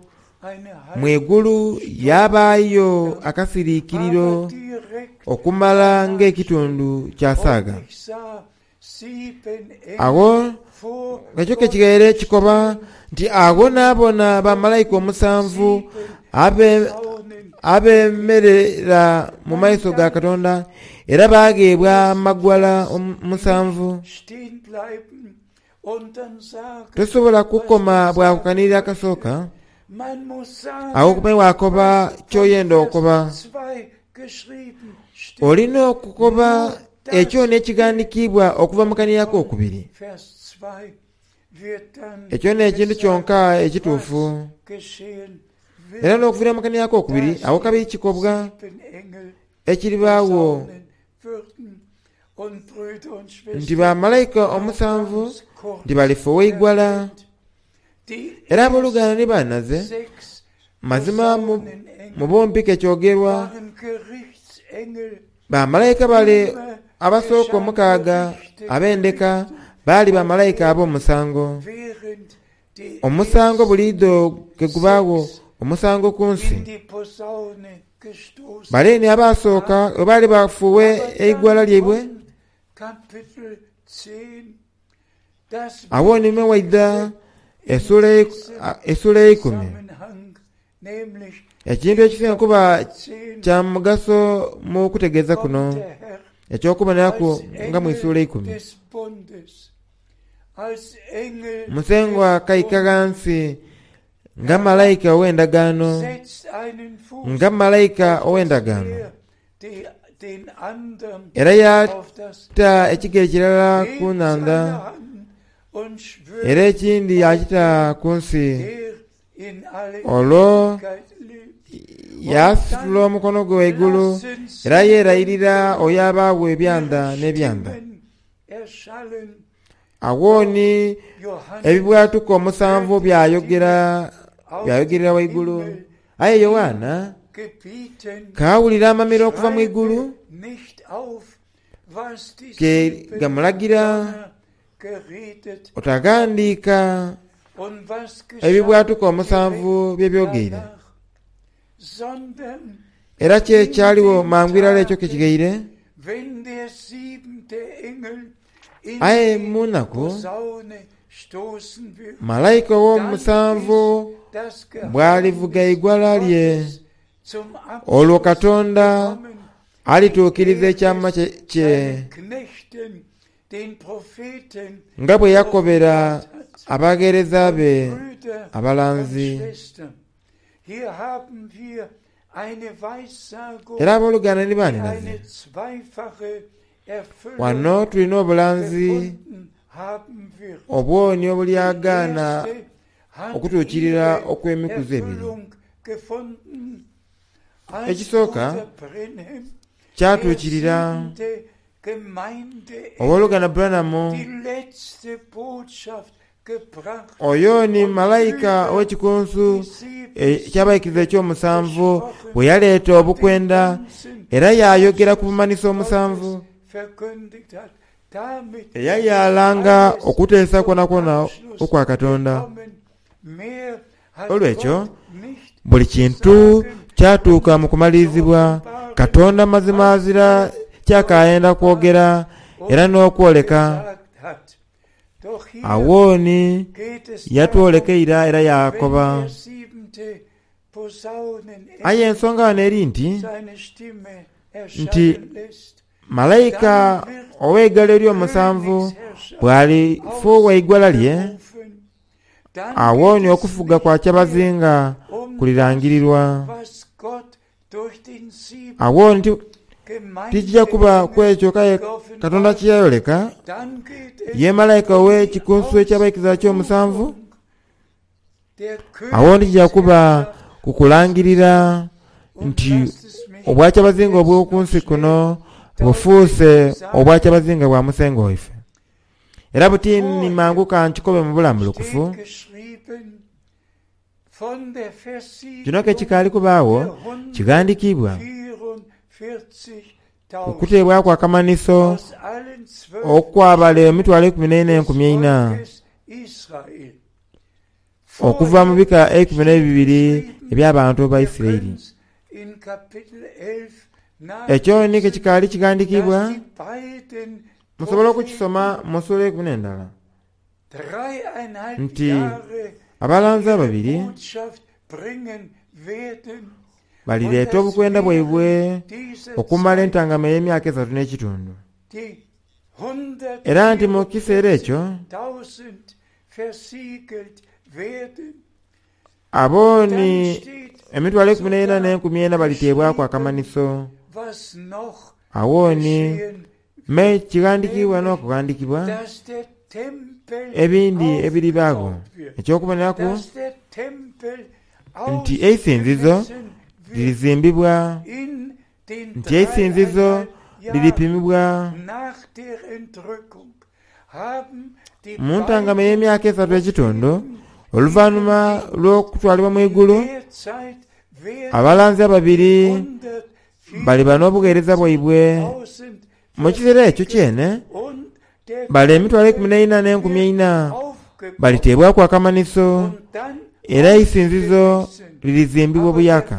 mu igulu yabaayo akasiriikiriro okumala ng'ekitundu kya saaga. Agho ekyo kekigaire kikoba nti agho naabona bamalayika omusanvu abemerera mu maiso ga Katonda era baagheebwa amagwala musanvu. Tosobola kukoma bwa kukanirira akasooka, agho okume wakoba kyoyenda okukoba. Olina okukoba ekyo n'ekighandiikibwa okuva mu kanira ak'okubiri. Ekyo n'ekintu kyonka ekituufu. Era n'okuvira mu kanira ak'okubiri agho kabiri kikobwa ekiribaagho nti bamalayika omusanvu nti balifuuwa eigwala. Era abooluganda ni banaze, mazima mu bumpi kekyogerwa bamalayika bale abasooka omukaaga ab'endeka baali bamalayika ab'omusango. Omusango buliidho ke gubaagho omusango ku nsi. Bale ni abasooka bwe baali bafuuwe eigwala lyaibwe, awo ni waidha esula eikumi. Ekintu ekisinga kuba kya mugaso mu kutegeeza kuno eky'okuboneraku nga mu isula eikumi. Musengwa kaika ghansi nga malayika ow'endagaano, nga malayika ow'endagaano. Era yata ekigere kirala ku nhandha era ekindi yakita ku nsi. Olwo yasitula omukono gwe waigulu era yeerayirira oyo abaagho ebyanda n'ebyanda. Agho ni ebibwatuka omusanvu byayogera byayogerera waigulu. Aye Yoanna kaawulira amamiro okuva mu igulu ke gamulagira otaghandiika Ebibwatuka omusanvu bye byogeire era kye kyaliwo mangu irala ekyo kekigeire. Aye mu nnaku malayika ow'omusanvu bw'alivuga eigwala lye, olwo Katonda alituukiriza ekyama kye nga bwe yakobera abagheereza be abalanzi. Era abooluganda ni baninaze, wano tulina obulanzi obwoni obulyagaana okutuukirira okw'emikuzi ebiri. Ekisooka kyatuukirira owooluganda Branham oyo ni malayika ow'ekikunsu ekyabaikiriza eky'omusanvu bwe yaleeta obukwenda era yayogera ku bumanhiso omusanvu eyayalanga okuteesa kwonakwona okwa Katonda. Olwekyo buli kintu kyatuuka mu kumalirizibwa. Katonda mazima azira kyakayenda kwogera era n'okwoleka. Awooni yatwoleka eira era yakoba. Aye ensonga wano eri nti nti malayika ow'eigalo ery'omusanvu bw'alifuuwa eigwala lye, awooni okufuga kwa kyabazinga kulirangirirwa. Awooni tikija kuba ku ekyo kaye Katonda kye yayoleka ye malayika ow'ekikunsu ekyabaikiriza ky'omusanvu. Awooni kija kuba ku kulangirira nti obwakyabazinga obw'oku nsi kuno bufuuse obwakyabazinga bwa Musengo waife. Era buti ni mangu kankikobe mu bulambulukufu. Kino ke kikaali kubaagho kighandiikibwa okuteebwaku akamanhiso okwabala emitwalo eikumi n'eina enkumi eina okuva mu bika eikumi n'ebibiri eby'abantu ba Isiraeli. Ekyo ni ke kikaali kighandiikibwa, musobola okukisoma mu sula eikumi n'endala nti abalanzi ababiri balireeta obukwenda bwaibwe okumala entangama ey'emyaka esatu n'ekitundu. Era nti mu kiseera ekyo abo ni emitwalo eikumi n'eina n'enkumi ena baliteebwaku akamanhiso. Awooni me kighandiikibwa n'okughandiikibwa ebindi ebiribaagho. Eky'okuboneraku nti eisinzizo lirizimbibwa, nti eisinzizo liripimibwa mu ntangama ey'emyaka esatu ekitundu. Oluvannyuma lw'okutwalibwa mu igulu, abalanzi ababiri baliba n'obugheereza bwaibwe. Mu kiseera ekyo kyene bale emitwalo eikumi n'eina n'enkumi eina baliteebwaku akamanhiso era eisinzizo lirizimbibwa buyaka.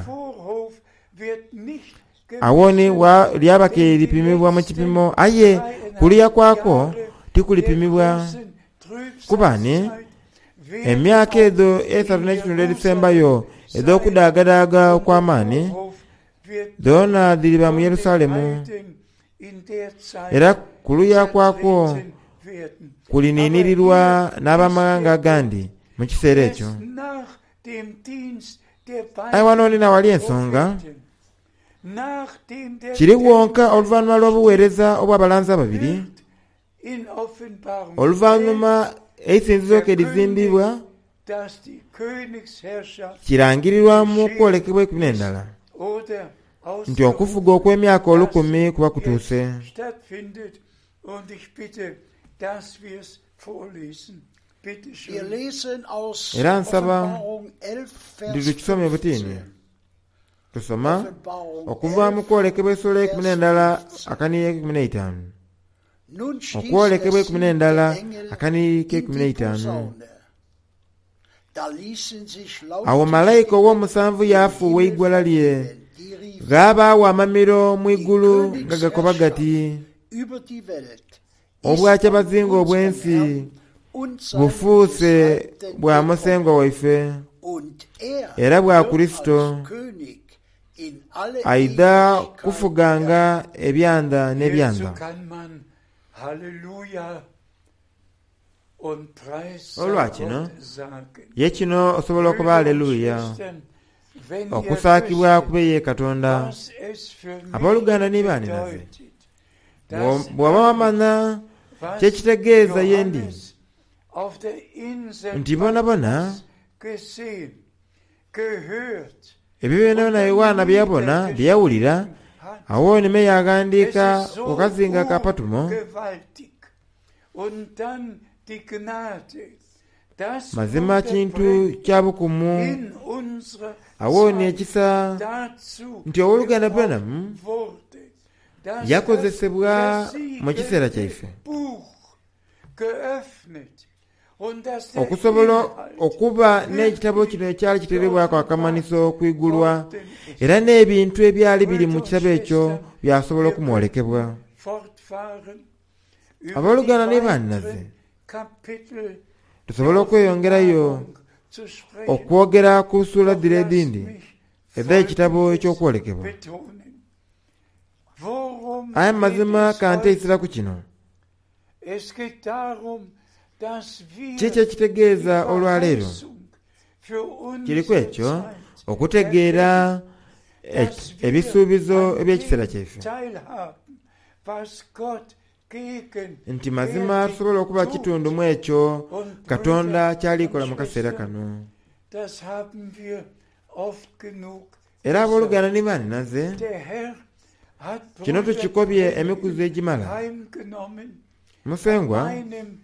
Awooni lyaba ke lipimibwa mu kipimo, aye kuluya kwakwo tikulipimibwa. Kuba ni emyaka edho esatu n'ekitundu edhisembayo edh'okudaagadaaga okw'amaani dhoona dhiriba mu Yerusalemu. Era kuluya kwakwo kuliniinirirwa n'abamaghanga agandi mu kiseera ekyo. Aye wano ni nawali ensonga kiri wonka oluvannyuma lw'obuweereza obw'abalanzi ababiri, oluvannyuma eisinzizo ke lizimbibwa kirangirirwa mu kwolekebwa eikumi n'endala nti okufuga okw'emyaka olukumi kuba kutuuse. Era nsaba nti tukisome butini. Tusoma okuva mu kwolekebwa esula eikumi n'endala akaniiri ekumi n'eitaanu. Okwolekebwa eikumi n'endala akaniiri k'eikumi n'eitaanu. Da ließen sich Awo laute malayika Stimmen ow'omusanvu im yaafuuwa Himmel eigwala lye. vernehmen, die riefen, Ghaabaawo amamiro mu die igulu nga gakoba gati, Königsherrschaft über die Welt ist obwa von kyabazinga unserem obw'ensi Herrn und seinem bufuuse Gesalbten bwa gekommen. musengwa waife Und er era bwa wird Kurisito als König in alle aidha Ewigkeit kufuganga herrschen. ebyanda Hierzu n'ebyanda. kann man Halleluja und Preis sei Olwa kino Gott sagen. ye kino osobola okuba Brüder und aleluya Schwestern, wenn ihr okusaakibwa wüsstet, kube ye Katonda. was es für mich Abooluganda ne baaninaze, bedeutet, dass bw'oba wamanya was kyekitegeeza ye ndi Johannes auf der Insel nti bonabona Patmos gesehen, gehört ebyo byonabona Yowaana bye yabona bye yawulira und hat. awo nime Es yaghandiika ist ku so kazinga ka Patumo. urgewaltig. Und dann die Gnade, dass Mazima Bruder kintu Branham kya bukumu in unserer awo ni Zeit ekisa dazu nti owooluganda gebraucht Branham wurde, dass das yakozesebwa mu kiseera versiegelte kyaife Buch geöffnet und dass der okusobola Inhalt okuba n'ekitabo kino ekyali kiteerebwako akamanyiso okwigulwa worden ist. era n'ebintu ebyali biri mu Brüder und kitabo ekyo Schwestern, byasobola wir okumwolekebwa. könnten fortfahren über die Abooluganda ne bannaze weiteren Kapitel tusobole der okweyongerayo Offenbarung zu sprechen. okwogera ku ssuula Doch dhira lasst edindi mich ez'ekitabo Folgendes eky'okwolekebwa. betonen. Worum Aye geht mazima es ka heute? nteesera ku kino. Es geht darum, dass wir Kiki ekitegeeza die olwaleero? Verheißung für Kiriku unsere ekyo Zeit okutegeera erkennen, dass wir ebisuubizo an eby'ekiseera dem kyaife teilhaben, was Gott nti mazima gegenwärtig tusobola okuba tut. kitundu mu ekyo Und Katonda Brüder ky'alikola und mu kaseera Schwestern, kano. das haben wir oft genug Era gesagt. abooluganda ne bannaze Der Herr hat kino Bruder tukikobye Branham emikuzi egimala. heimgenommen an Musengwa meinem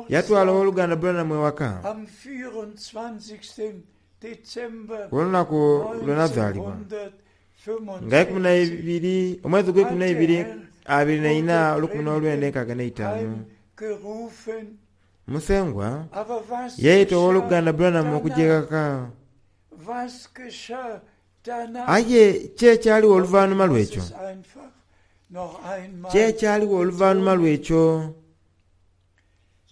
yatwala Geburtstag owooluganda Branham ewaka am vierundzwanzigsten Dezember ku lunaku lwe nazaalibwa nga ikumi na neunzehnhundertfünfundsechzig ibiri omwezi gw'ekumi hat na der ibiri Herr abiri na ina Bruder olukumi n'olwenda Branham enkaaga n'eitaano. heimgerufen. Musengwa Aber was yeeyita geschah owooluganda Branham okujja danach? ewaka. Was geschah danach? Aye ki ekyaliwo Und ich oluvannyuma muss lw'ekyo? es einfach noch Ki einmal ekyaliwo oluvannyuma betonen. lw'ekyo?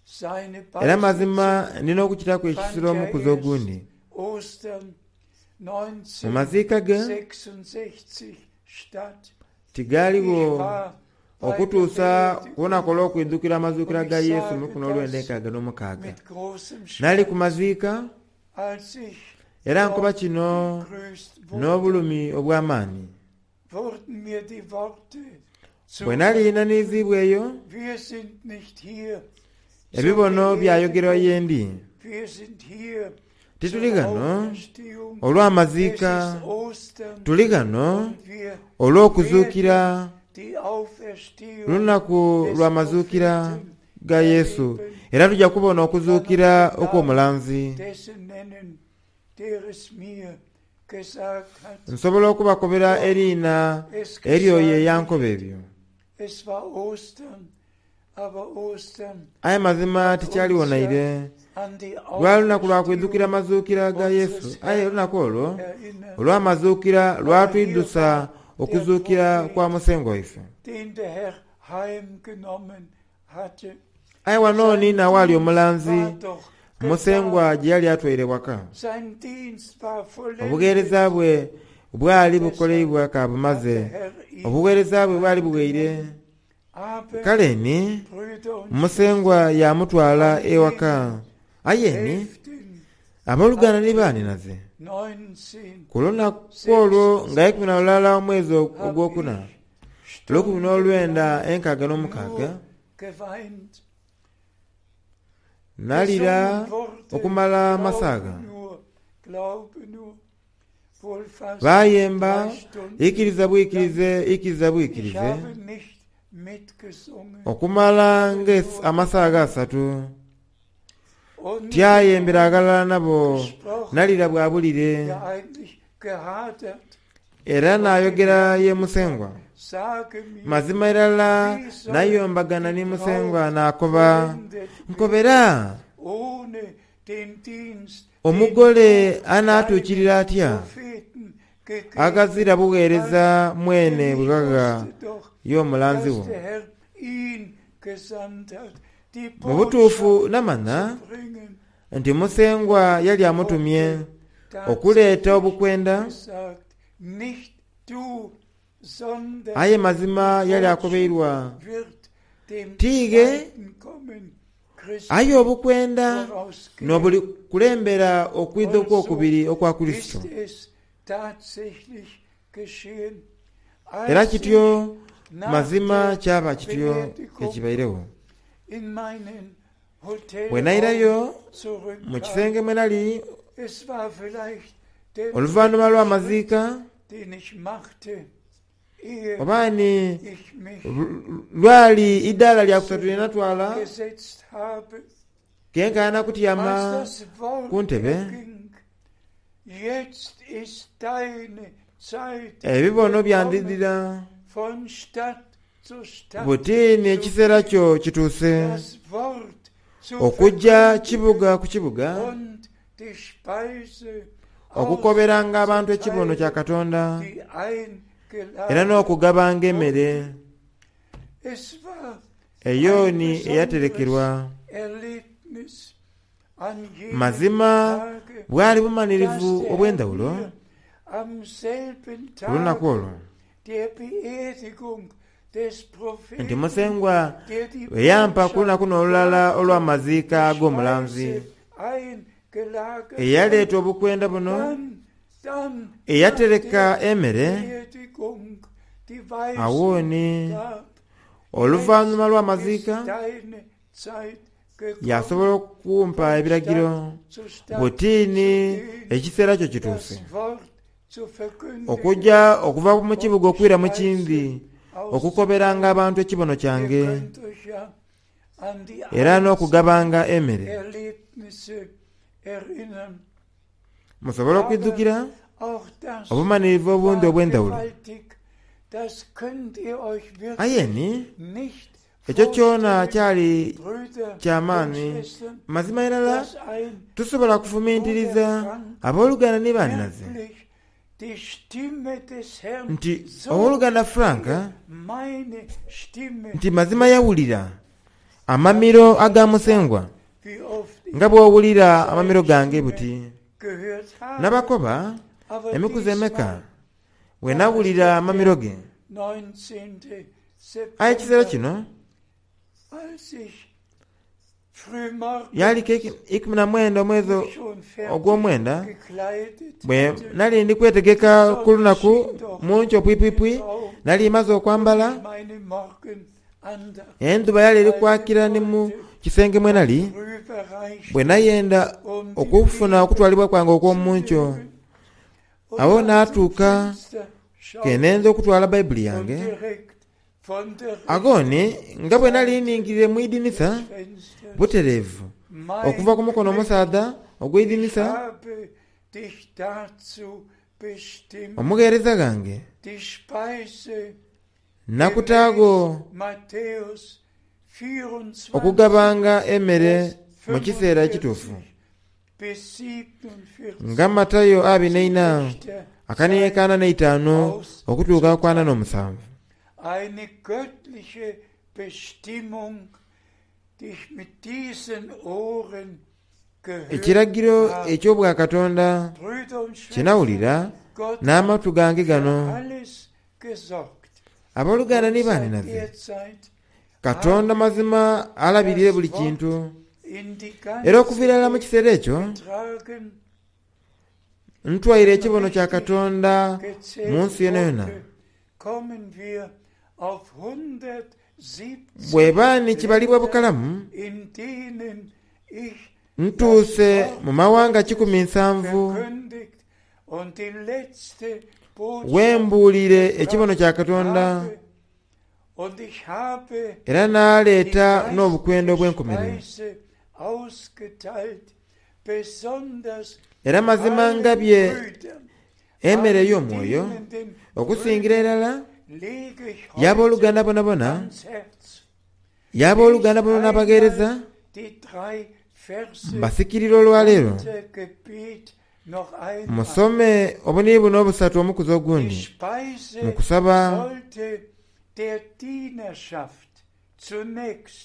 Seine Era mazima Beisetzung nina okukiraku fand ekisiro ja omukuzi erst ogundi. Ostern Mu maziika ge neunzehnhundertsechsundsechzig statt. Ich tigaaliwo war bei der okutuusa ku lunaku Beerdigung olw'okwidukira amazuukira und ga ich Yesu mu sage lukumi n'olwenda das enkaaga n'omukaaga. mit großem Nali ku Schmerz, maziika als ich era nkuba dort kino begrüßt wurde, n'obulumi obw'amaanyi. wurden mir die Worte Bwe nali zugerufen. naniziibwa eyo Wir sind nicht hier zur ebibono byayogerwa Beerdigung, ye ndi. wir sind hier Tituli zur ghano Auferstehung. Es olw'amaziika, ist Ostern tuli ghano und wir olw'okuzuukira werden die Auferstehung lunaku des lw'amazuukira Propheten ga Yesu erleben. era tujja kubona Ich kann euch okuzuukira den Namen okw'omulanzi. dessen nennen, der es mir gesagt hat. Nsobola okubakobera Doch eriina es eri oyo geschah eyankoba nicht. ebyo. Es war Ostern, aber Ostern Aye mazima hat uns tikyaliwo ja naire. an die Lwali lunaku lwa kwidukira Auferstehung mazuukira ga Yesu unseres aye Herrn olunaku olwo erinnert. olw'amazuukira Aber hier lwatwiddusa war der okuzuukira kwa Prophet, musengwa waife. den der Herr heimgenommen hatte. Aye wano Sein niina waali Dienst omulanzi war doch musengwa getan. gye yali atwaire waka. Sein Dienst war vollendet. Obuweereza bwe bwali Deshalb bukoleibwa hat der kabumaze. Herr ihn Obuweereza bwe bwali buweire. heimgenommen. Aber, Kale ni Brüder und musengwa Schwestern, yamutwala am ewaka. Aye ni elften abooluganda ni April baaninaze ku lunaku olwo nga ikumi na lulala omwezi neunzehnhundertsechsundsechzig hab ogwokuna ich olwokumi n'olwenda stundenlang enkaaga n'omukaaga nur geweint. nalira Gesungen wurde, okumala glaube amasaaga. nur, glaube nur, wohl fast Baayemba drei Stunden ikkiriza lang. bwikirize ikkiriza Ich bwikirize habe nicht mitgesungen, okumala aber nga nur amasaaga geweint asatu. und mit dem Tyayembera Mund agalala nabo gesprochen, nalira bwabulire ja eigentlich gehadert era und dem n'ayogera Herrn ye gesagt, musengwa. sage mir, Mazima irala wie soll nayombagana die ni musengwa Braut n'akoba vollendet werden nkobera ohne den Dienst, den Omugole du anaatuukirira deinen atya Propheten gegeben agazira bugheereza hast? mwene Denn ich bwe gaga wusste doch, y'omulanzi dass wo. der Herr ihn gesandt hat, die Mu butuufu Botschaft namanya zu bringen. nti Musengwa yali amutumye okuleeta obukwenda, Gesagt, nicht du, sondern aye mazima die yali Botschaft akobeirwa wird dem tiige zweiten Kommen Christi aye obukwenda vorausgehen. n'obuli kulembera okwidha Und so okwokubiri okwa Kristo. ist es tatsächlich geschehen. Era Als kityo ich nach mazima der kyaba kityo Beerdigung ekibairewo. in meinen Bwe nairayo Hotelraum mu zurückkam, kisenge mwe nali es war vielleicht der oluvannyuma dritte Schritt, lw'amaziika den ich machte, ehe obaani ich mich lwali iddaala lya kusatu lye natwala gesetzt habe. kenkaana kutyama Als das Wort ku ntebe erging, jetzt ist deine Zeit ebibono gekommen, byandidira von Stadt zu Stadt butiini zu ekiseera gehen, kyo kituuse das Wort zu okujja verkündigen kibuga ku kibuga und die Speise okukoberanga abantu ekibono kya auszuteilen, Katonda die era eingeladen n'okugabanga emmere wurde. Es war ein eyooni besonderes eyaterekerwa. Erlebnis an jenem Mazima Tage, bwali dass bumalirivu der Herr obw'endawulo mir am selben ku lunaku Tag olwo der Beerdigung des nti Propheten, Musengwa der die bwe yampa ku Botschaft lunaku n'olulala brachte, olw'amaziika die ag'omulanzi Speise eingelagert eyaleeta hat, obukwenda buno dann, dann nach eyatereka der emmere Beerdigung die Weisung awooni gab, oluvannyuma jetzt lw'amaziika ist deine Zeit gekommen, yasobola okumpa von ebiragiro Stadt zu Stadt zu butiini gehen, ekiseera kyo kituuse das Wort zu verkündigen okujja okuva mu und kibuga die okwira mu Speise kindi okukoberanga auszuteilen. abantu ekibono Ihr kyange könnt euch ja an die era einzelnen n'okugabanga emmere. Erlebnisse erinnern. Musobole Aber okwijjukira auch das obumalirivu obundi war obw'endawulo. gewaltig. Das könnt ihr euch Aye wirklich ni nicht ekyo kyona vorstellen, kyali Brüder und kyamaanyi. Schwestern, Mazima irala dass ein tusobola Bruder kufumiitiriza Frank abooluganda ne bannaze wirklich die Stimme des Herrn nti so owooluganda Frank meine Stimme nti mazima yawulira amamiro aga Musengwa wie oft ich nga bw'owulira amamiro seine gange Stimme buti. gehört habe. Nabakoba Aber emikuzi emeka diesmal bwe war es nawulira doch amamiro der ge. neunzehnte Aye ekiseera September, kino als ich frühmorgens yaliko ikumi na mwenda omwezi mich schon fertig ogw'omwenda gekleidet bwe hatte, nali ndi die kwetegeka ku Sonne lunaku schien doch mu nkyo pwipwipwi im Raum nali maze und okwambala ich meine Morgenandacht enjuba yali eri halten kwakira ne mu wollte kisenge mwe und nali bwe rüberreichte, nayenda um die okufuna Bibel okutwalibwa kwange zu okw'omu nkyo nehmen. Und awo dann zum n'atuuka Fenster ke schaute nenza okutwala bayibuli und yange direkt von der agooni rechten nga bwe nali Seite ningirire mu idinisa des Fensters, butereevu okuva mein ku mukono Knecht, omusaadha ich ogw'idinisa habe dich dazu bestimmt, omugheereza gange die Speise nakutaago gemäß Matthäus vierundzwanzig, okugabanga emmere Vers mu kiseera ekituufu fünfundvierzig bis siebenundvierzig nga Matayo abiri zu n'eina rechter akaniekaana Zeit n'eitaano okutuuka ku ana n'omusanvu. Eine göttliche Bestimmung, die ich mit diesen Ohren gehört Ekiragiro habe. eky'obwakatonda Brüder und kye Schwestern, nawulira Gott hat n'amatu gange für gano. alles gesorgt. Abooluganda Und ne seit baninaze der Zeit Katonda habe mazima alabirire ich buli das kintu Wort in die era ganze okuviira ddala mu Welt kiseera ekyo getragen, ntwaire wenn ekibono kya richtig Katonda mu gezählt nsi yona yona. wurde, kommen wir auf hundertsiebzig Bw'eba ni kibalibwa Länder, bukalamu in denen ich das ntuuse Wort mu mawanga Gottes kikumi nsanvu verkündigt und die letzte Botschaft wembuulire ekibono gebracht kya Katonda habe. Und ich habe era die n'aleeta n'obukwenda geistliche obw'enkomerero. Speise ausgeteilt, besonders Era mazima allen ngabye Brüdern, emmere allen ey'omwoyo dienenden okusingira Brüdern irala lege ich heute y'abooluganda bonabona ans Herz. y'abooluganda Lest bona n'abagheereza einmal die drei Mbasikirira olwaleero musome obuniri buno obusatu omukuzi ogundi mu kusaba.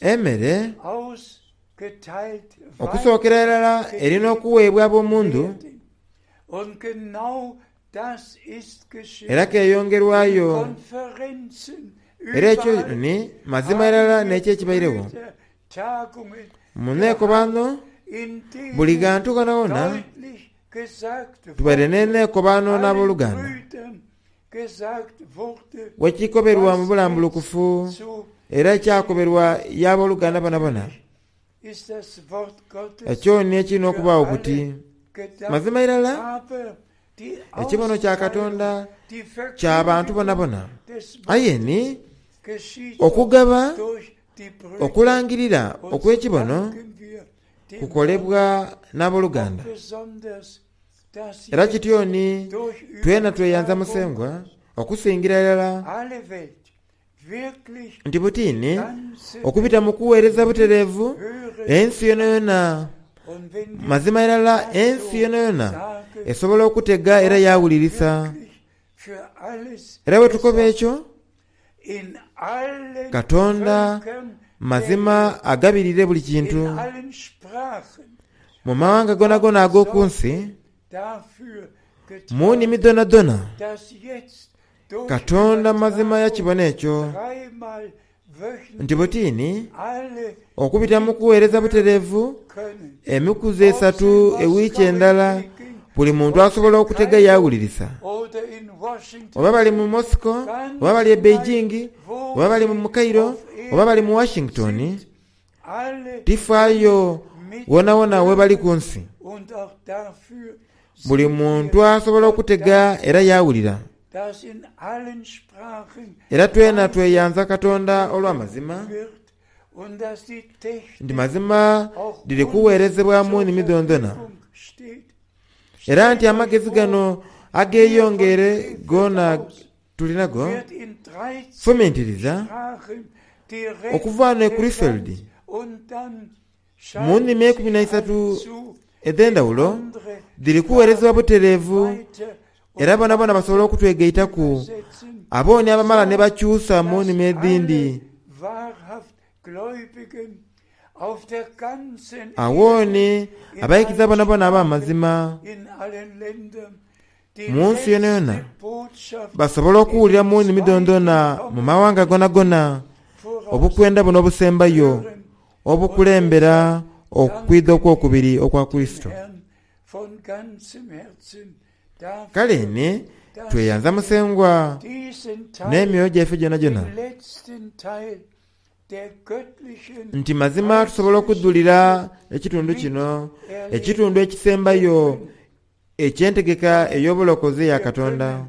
Emmere okusookera irala erina okuweebwa ab'omundu, era keeyongerwayo. Era ekyo ni mazima irala n'ekyo ekibairegho mu neekobano buli ghantu ghonawona. Tubaire n'eneekobano n'abooluganda wekikoberwa mu bulambulukufu, era ekyakoberwa y'abooluganda bonabona. Ekyo ni ekirina okubaawo buti mazima irala ekibono kya Katonda kya bantu bonabona, aye ni okugaba okulangirira okw'ekibono kukolebwa n'abooluganda. Era kityo ni twena tweyanza Musengwa okusingira irala nti butiini okubita mu kuweereza butereevu ensi yonayona, mazima irala ensi yonayona esobola okutega era yawulirisa. Era bwe tukoba ekyo, Katonda mazima agabirire buli kintu mu mawanga gonagona ag'oku nsi, mu nnimi dhonadhona. Katonda mazima yakibona ekyo nti butiini okubita mu kuweereza butereevu emikuzi esatu ewiiki endala buli muntu asobola okutega yawulirisa, oba bali mu Moscow, oba bali e Beijing, oba bali mu Cairo, oba bali mu Washington, tifaayo wonawona we bali ku nsi, buli muntu asobola okutega era yawulira. Era twena tweyanza Katonda olw'amazima nti mazima dhiri kuweerezebwa mu nnimi dhondhona, era nti amagezi gano ageyongeire gona tulinago. Fumintiriza okuva wano e Krefeld mu nnimi eikumi na isatu edh'endhawulo dhiri kuweerezebwa butereevu, era bonabona basobola okutwegaitaku abooni abamala ne bakyusa mu nnimi edhindi. Awooni abaikiriza bonabona ab'amazima mu nsi yonayona basobola okuwulira mu nnimi dhondhona mu mawanga gonagona obukwenda buno obusembayo obukulembera okwidha okwokubiri okwa Kurisito. Kale ni tweyanza Musengwa n'emyoyo gyaife gyonagyona nti mazima tusobola okudhulira ekitundu kino, ekitundu ekisembayo eky'entegeka ey'obulokozi eya Katonda.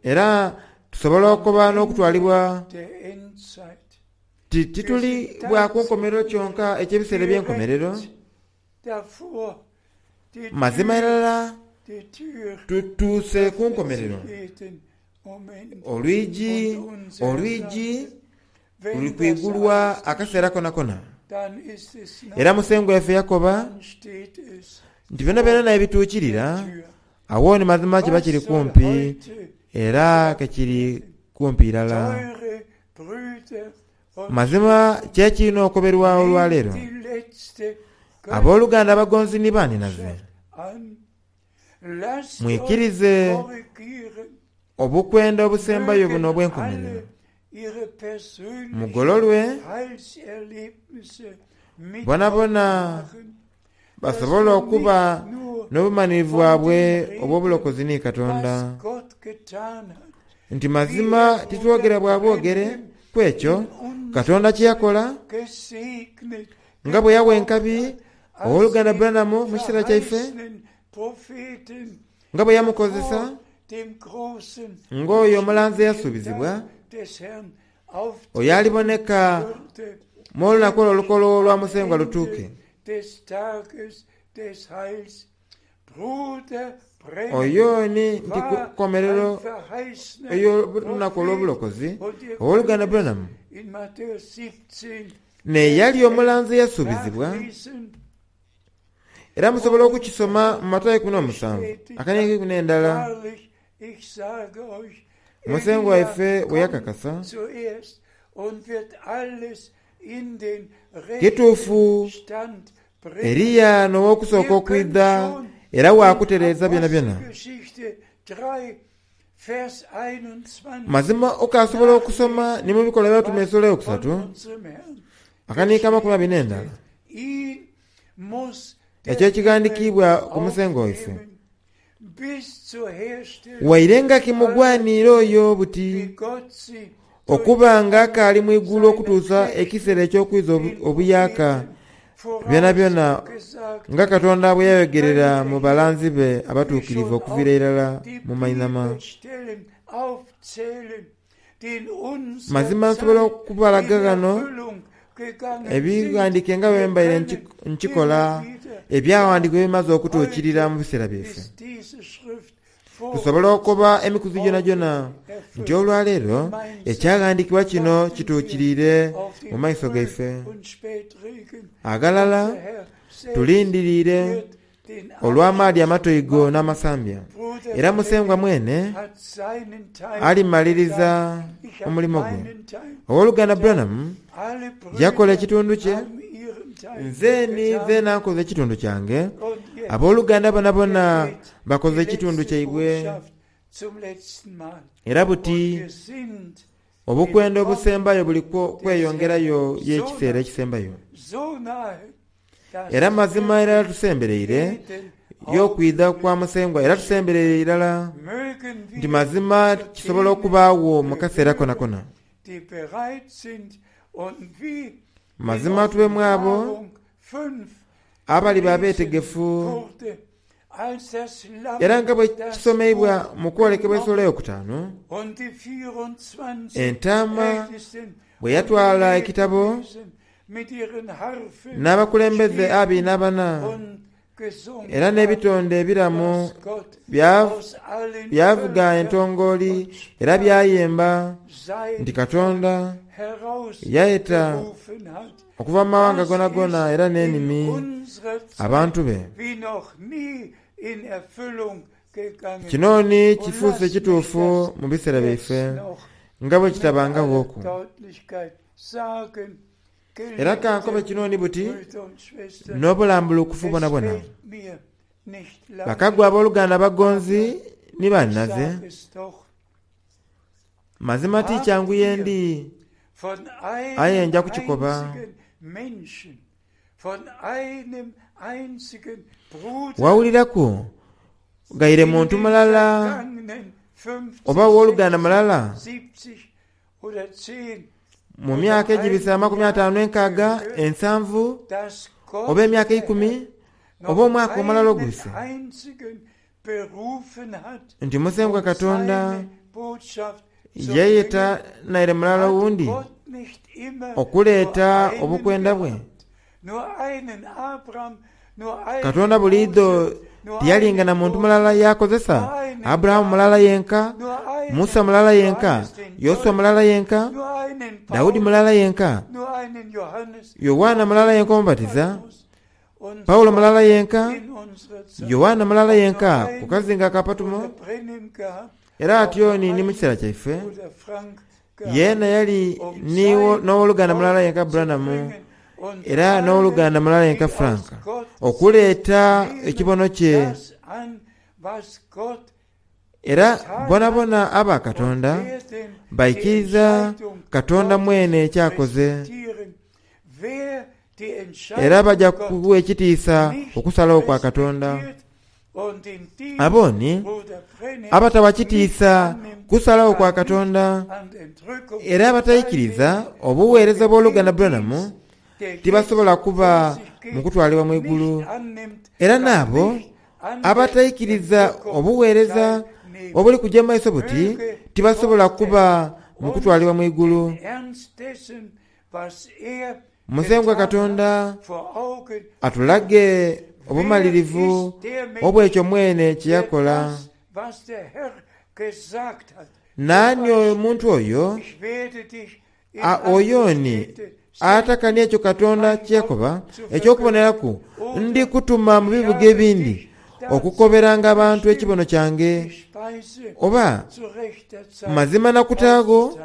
Era tusobola okuba n'okutwalibwa ti tituli bwa ku nkomerero kyonka eky'ebiseera eby'enkomerero. Mazima irala tutuuse ku nkomerero. Olwigi olwigi luli kwigulwa akaseera konakona. Era Musengwa waife yakoba nti byonabyona ebituukirira awo ni mazima kiba kiri kumpi, era ke kiri kumpi irala. Mazima kyekirina okoberwa olwaleero. Abooluganda abagonzi ni banhinaze, mwikirize obukwenda obusembayo buno obw'enkomerero, mugololwe bonabona basobole okuba n'obumanhirivu bwabwe obw'obulokozi ni Katonda, nti mazima titwogera bwa bwogere ku ekyo Katonda kye yakola nga bwe yawa enkabi ow'oluganda Branham mu kiseera kyaife, nga bwe yamukozesa ng'oyo omulanzi eyasuubizibwa, oyo aliboneka mu olunaku olwo olukolo lwa Musengwa lutuuke. Oyo ni nti kukomerero ey'olunaku olw'obulokozi owooluganda Branham neyali omulanzi eyasuubizibwa era musobola okukisoma mu Matayo ikumi n'omusanvu akaniiko ikumi n'endala. Musengo waife bwe yakakasa kituufu Eriya n'ow'okusooka okwidha era waakutereeza byona byona. Mazima okasobola okusoma ni mu bikolwa by'abatume esula eyokusatu akaniiko amakumi abiri n'endala ekyo ekighandikiibwa ku musengo waife. Waire nga kimugwaniire oyo buti okuba nga akaali mu igulu okutuusa ekiseera eky'okwiza obuyaaka byona byona nga Katonda bwe yayogerera mu balanzi be abatuukirivu okuviira irala mu mainhama. Mazima nsobola okubalaga ghano ebighandiike nga bwe mbaire nkikola ebyawandiikibwa ebimaze okutuukirira mu biseera byaife. Tusobola okuba emikuzi gyonagyona nti olwaleero ekyaghandiikibwa kino kituukiriire mu maiso gaife. Aghalala tulindiriire olw'amaadhi amatoigo n'amasambya, era Musengwa mwene alimaliriza omulimo gwe. Owooluganda Branham yakola ekitundu kye, nze ni zeena nkoze ekitundu kyange, abooluganda bonabona bakoze ekitundu kyaibwe. Era buti obukwenda obusembayo buli kweyongerayo y'ekiseera ekisembayo. Era mazima irala tusembereire y'okwidha kwa Musengwa, era tusembereire irala nti mazima kisobola okubaagho mu kaseera konakona. Mazima tubemu abo abaliba abeetegefu, era nga bwe kisomeibwa mu kwolekebwa esula eyokutaanu, entaama bwe yatwala ekitabo n'abakulembeze abiri n'abana era n'ebitonde ebiramu byavuga entongooli era byayemba nti Katonda yayeta okuva mu mawanga gonagona era n'enimi abantu be. Kino ni kifuuse kituufu mu biseera byaife nga bwe kitabangaghoku. Era kankobe kino ni buti n'obulambulukufu bwonabwona. Bakagwa abooluganda abagonzi ni bannaze, mazima ti kyangu yendi, aye nja kukikoba. Wawuliraku ghaire muntu mulala oba ow'oluganda mulala mu myaka egibisa amakumi ataanu enkaaga ensanvu oba emyaka eikumi oba omwaka omulala ogubise nti Musengwa Katonda yayeta naire mulala owundi okuleeta obukwenda bwe. Katonda buliidho tiyalinga na muntu mulala yakozesa, Aburahamu mulala yenka, Musa mulala yenka, Yoshua mulala yenka, Daudi mulala yenka, Yoanna mulala yenka omubatiza, Paulo mulala yenka, Yoanna mulala yenka ku kazinga aka Patumo. Era atyo ni ni mu kiseera kyaife yeena yali n'owoluganda mulala yenka Branham era n'owoluganda mulala yenka Frank okuleeta ekibono kye. Era bonabona aba Katonda baikiriza Katonda mwene ekyakoze, era baja kuwa ekitiisa okusalawo kwa Katonda. Abo ni abatawa kitiisa kusalawo kwa Katonda era abataikiriza obuweereza bw'oluganda Branham tibasobola kuba mu kutwalibwa mu igulu. Era n'abo abataikiriza obuweereza obuli kuja mu maiso buti tibasobola kuba mu kutwalibwa mu igulu. Musengwa Katonda atulage Obumalirivu obw'ekyo mwene kye yakola. Naani omuntu oyo oyo ni atakania ekyo Katonda kye yakoba eky'okuboneraku ndi kutuma mu bibuga ebindi okukoberanga abantu ekibono kyange oba mazima nakutaagho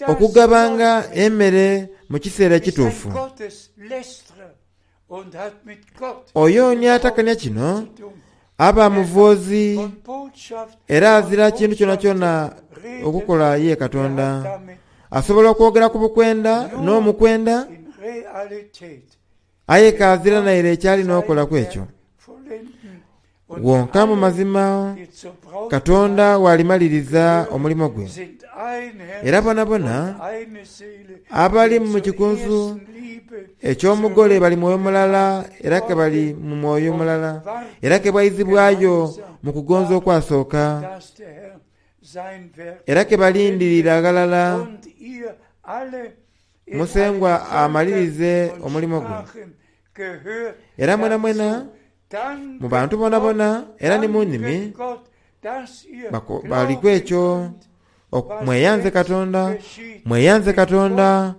okugabanga emmere mu kiseera ekituufu. Oyo ni atakania kino aba muvoozi era azira kintu kyonakyona okukola ye Katonda. Asobola okwogera ku bukwenda n'omukwenda aye kazira naire ekyalina okolaku ekyo. Wonka mu mazima Katonda walimaliriza omulimo gwe. Era bonabona abali mu kikunsu eky'omugole bali mwoyo mulala era ke bali mu mwoyo mulala era ke bwaizibwayo mu kugonza okwasooka era ke balindirira ghalala Musengwa amalirize omulimo gwe. Era mwenamwena mu bantu bonabona era ni mu nnimi baliku ekyo mweyanze Katonda, mweyanze Katonda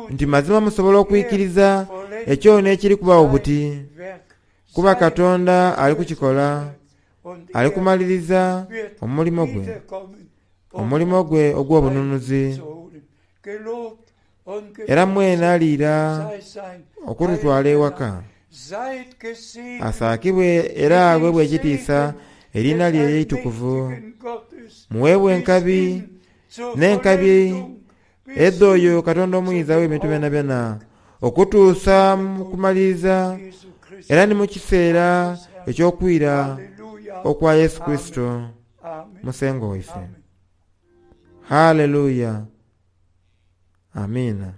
nti mazima musobola okwikiriza ekyo n'ekiri kubaawo buti, kuba Katonda ali kukikola, ali kumaliriza omulimo gwe, omulimo gwe ogw'obununuzi. Era mwene aliira okututwala ewaka. Asaakibwe era aweebwe ekitiisa eriina lye eitukuvu. Muweebwe enkabi n'enkabi edh'oyo Katonda omuyinza w'ebintu byonabyona okutuusa mu kumaliriza era ni mu kiseera eky'okwira okwa Yesu Kurisito Musengwa waife. Haleluya. Amiina.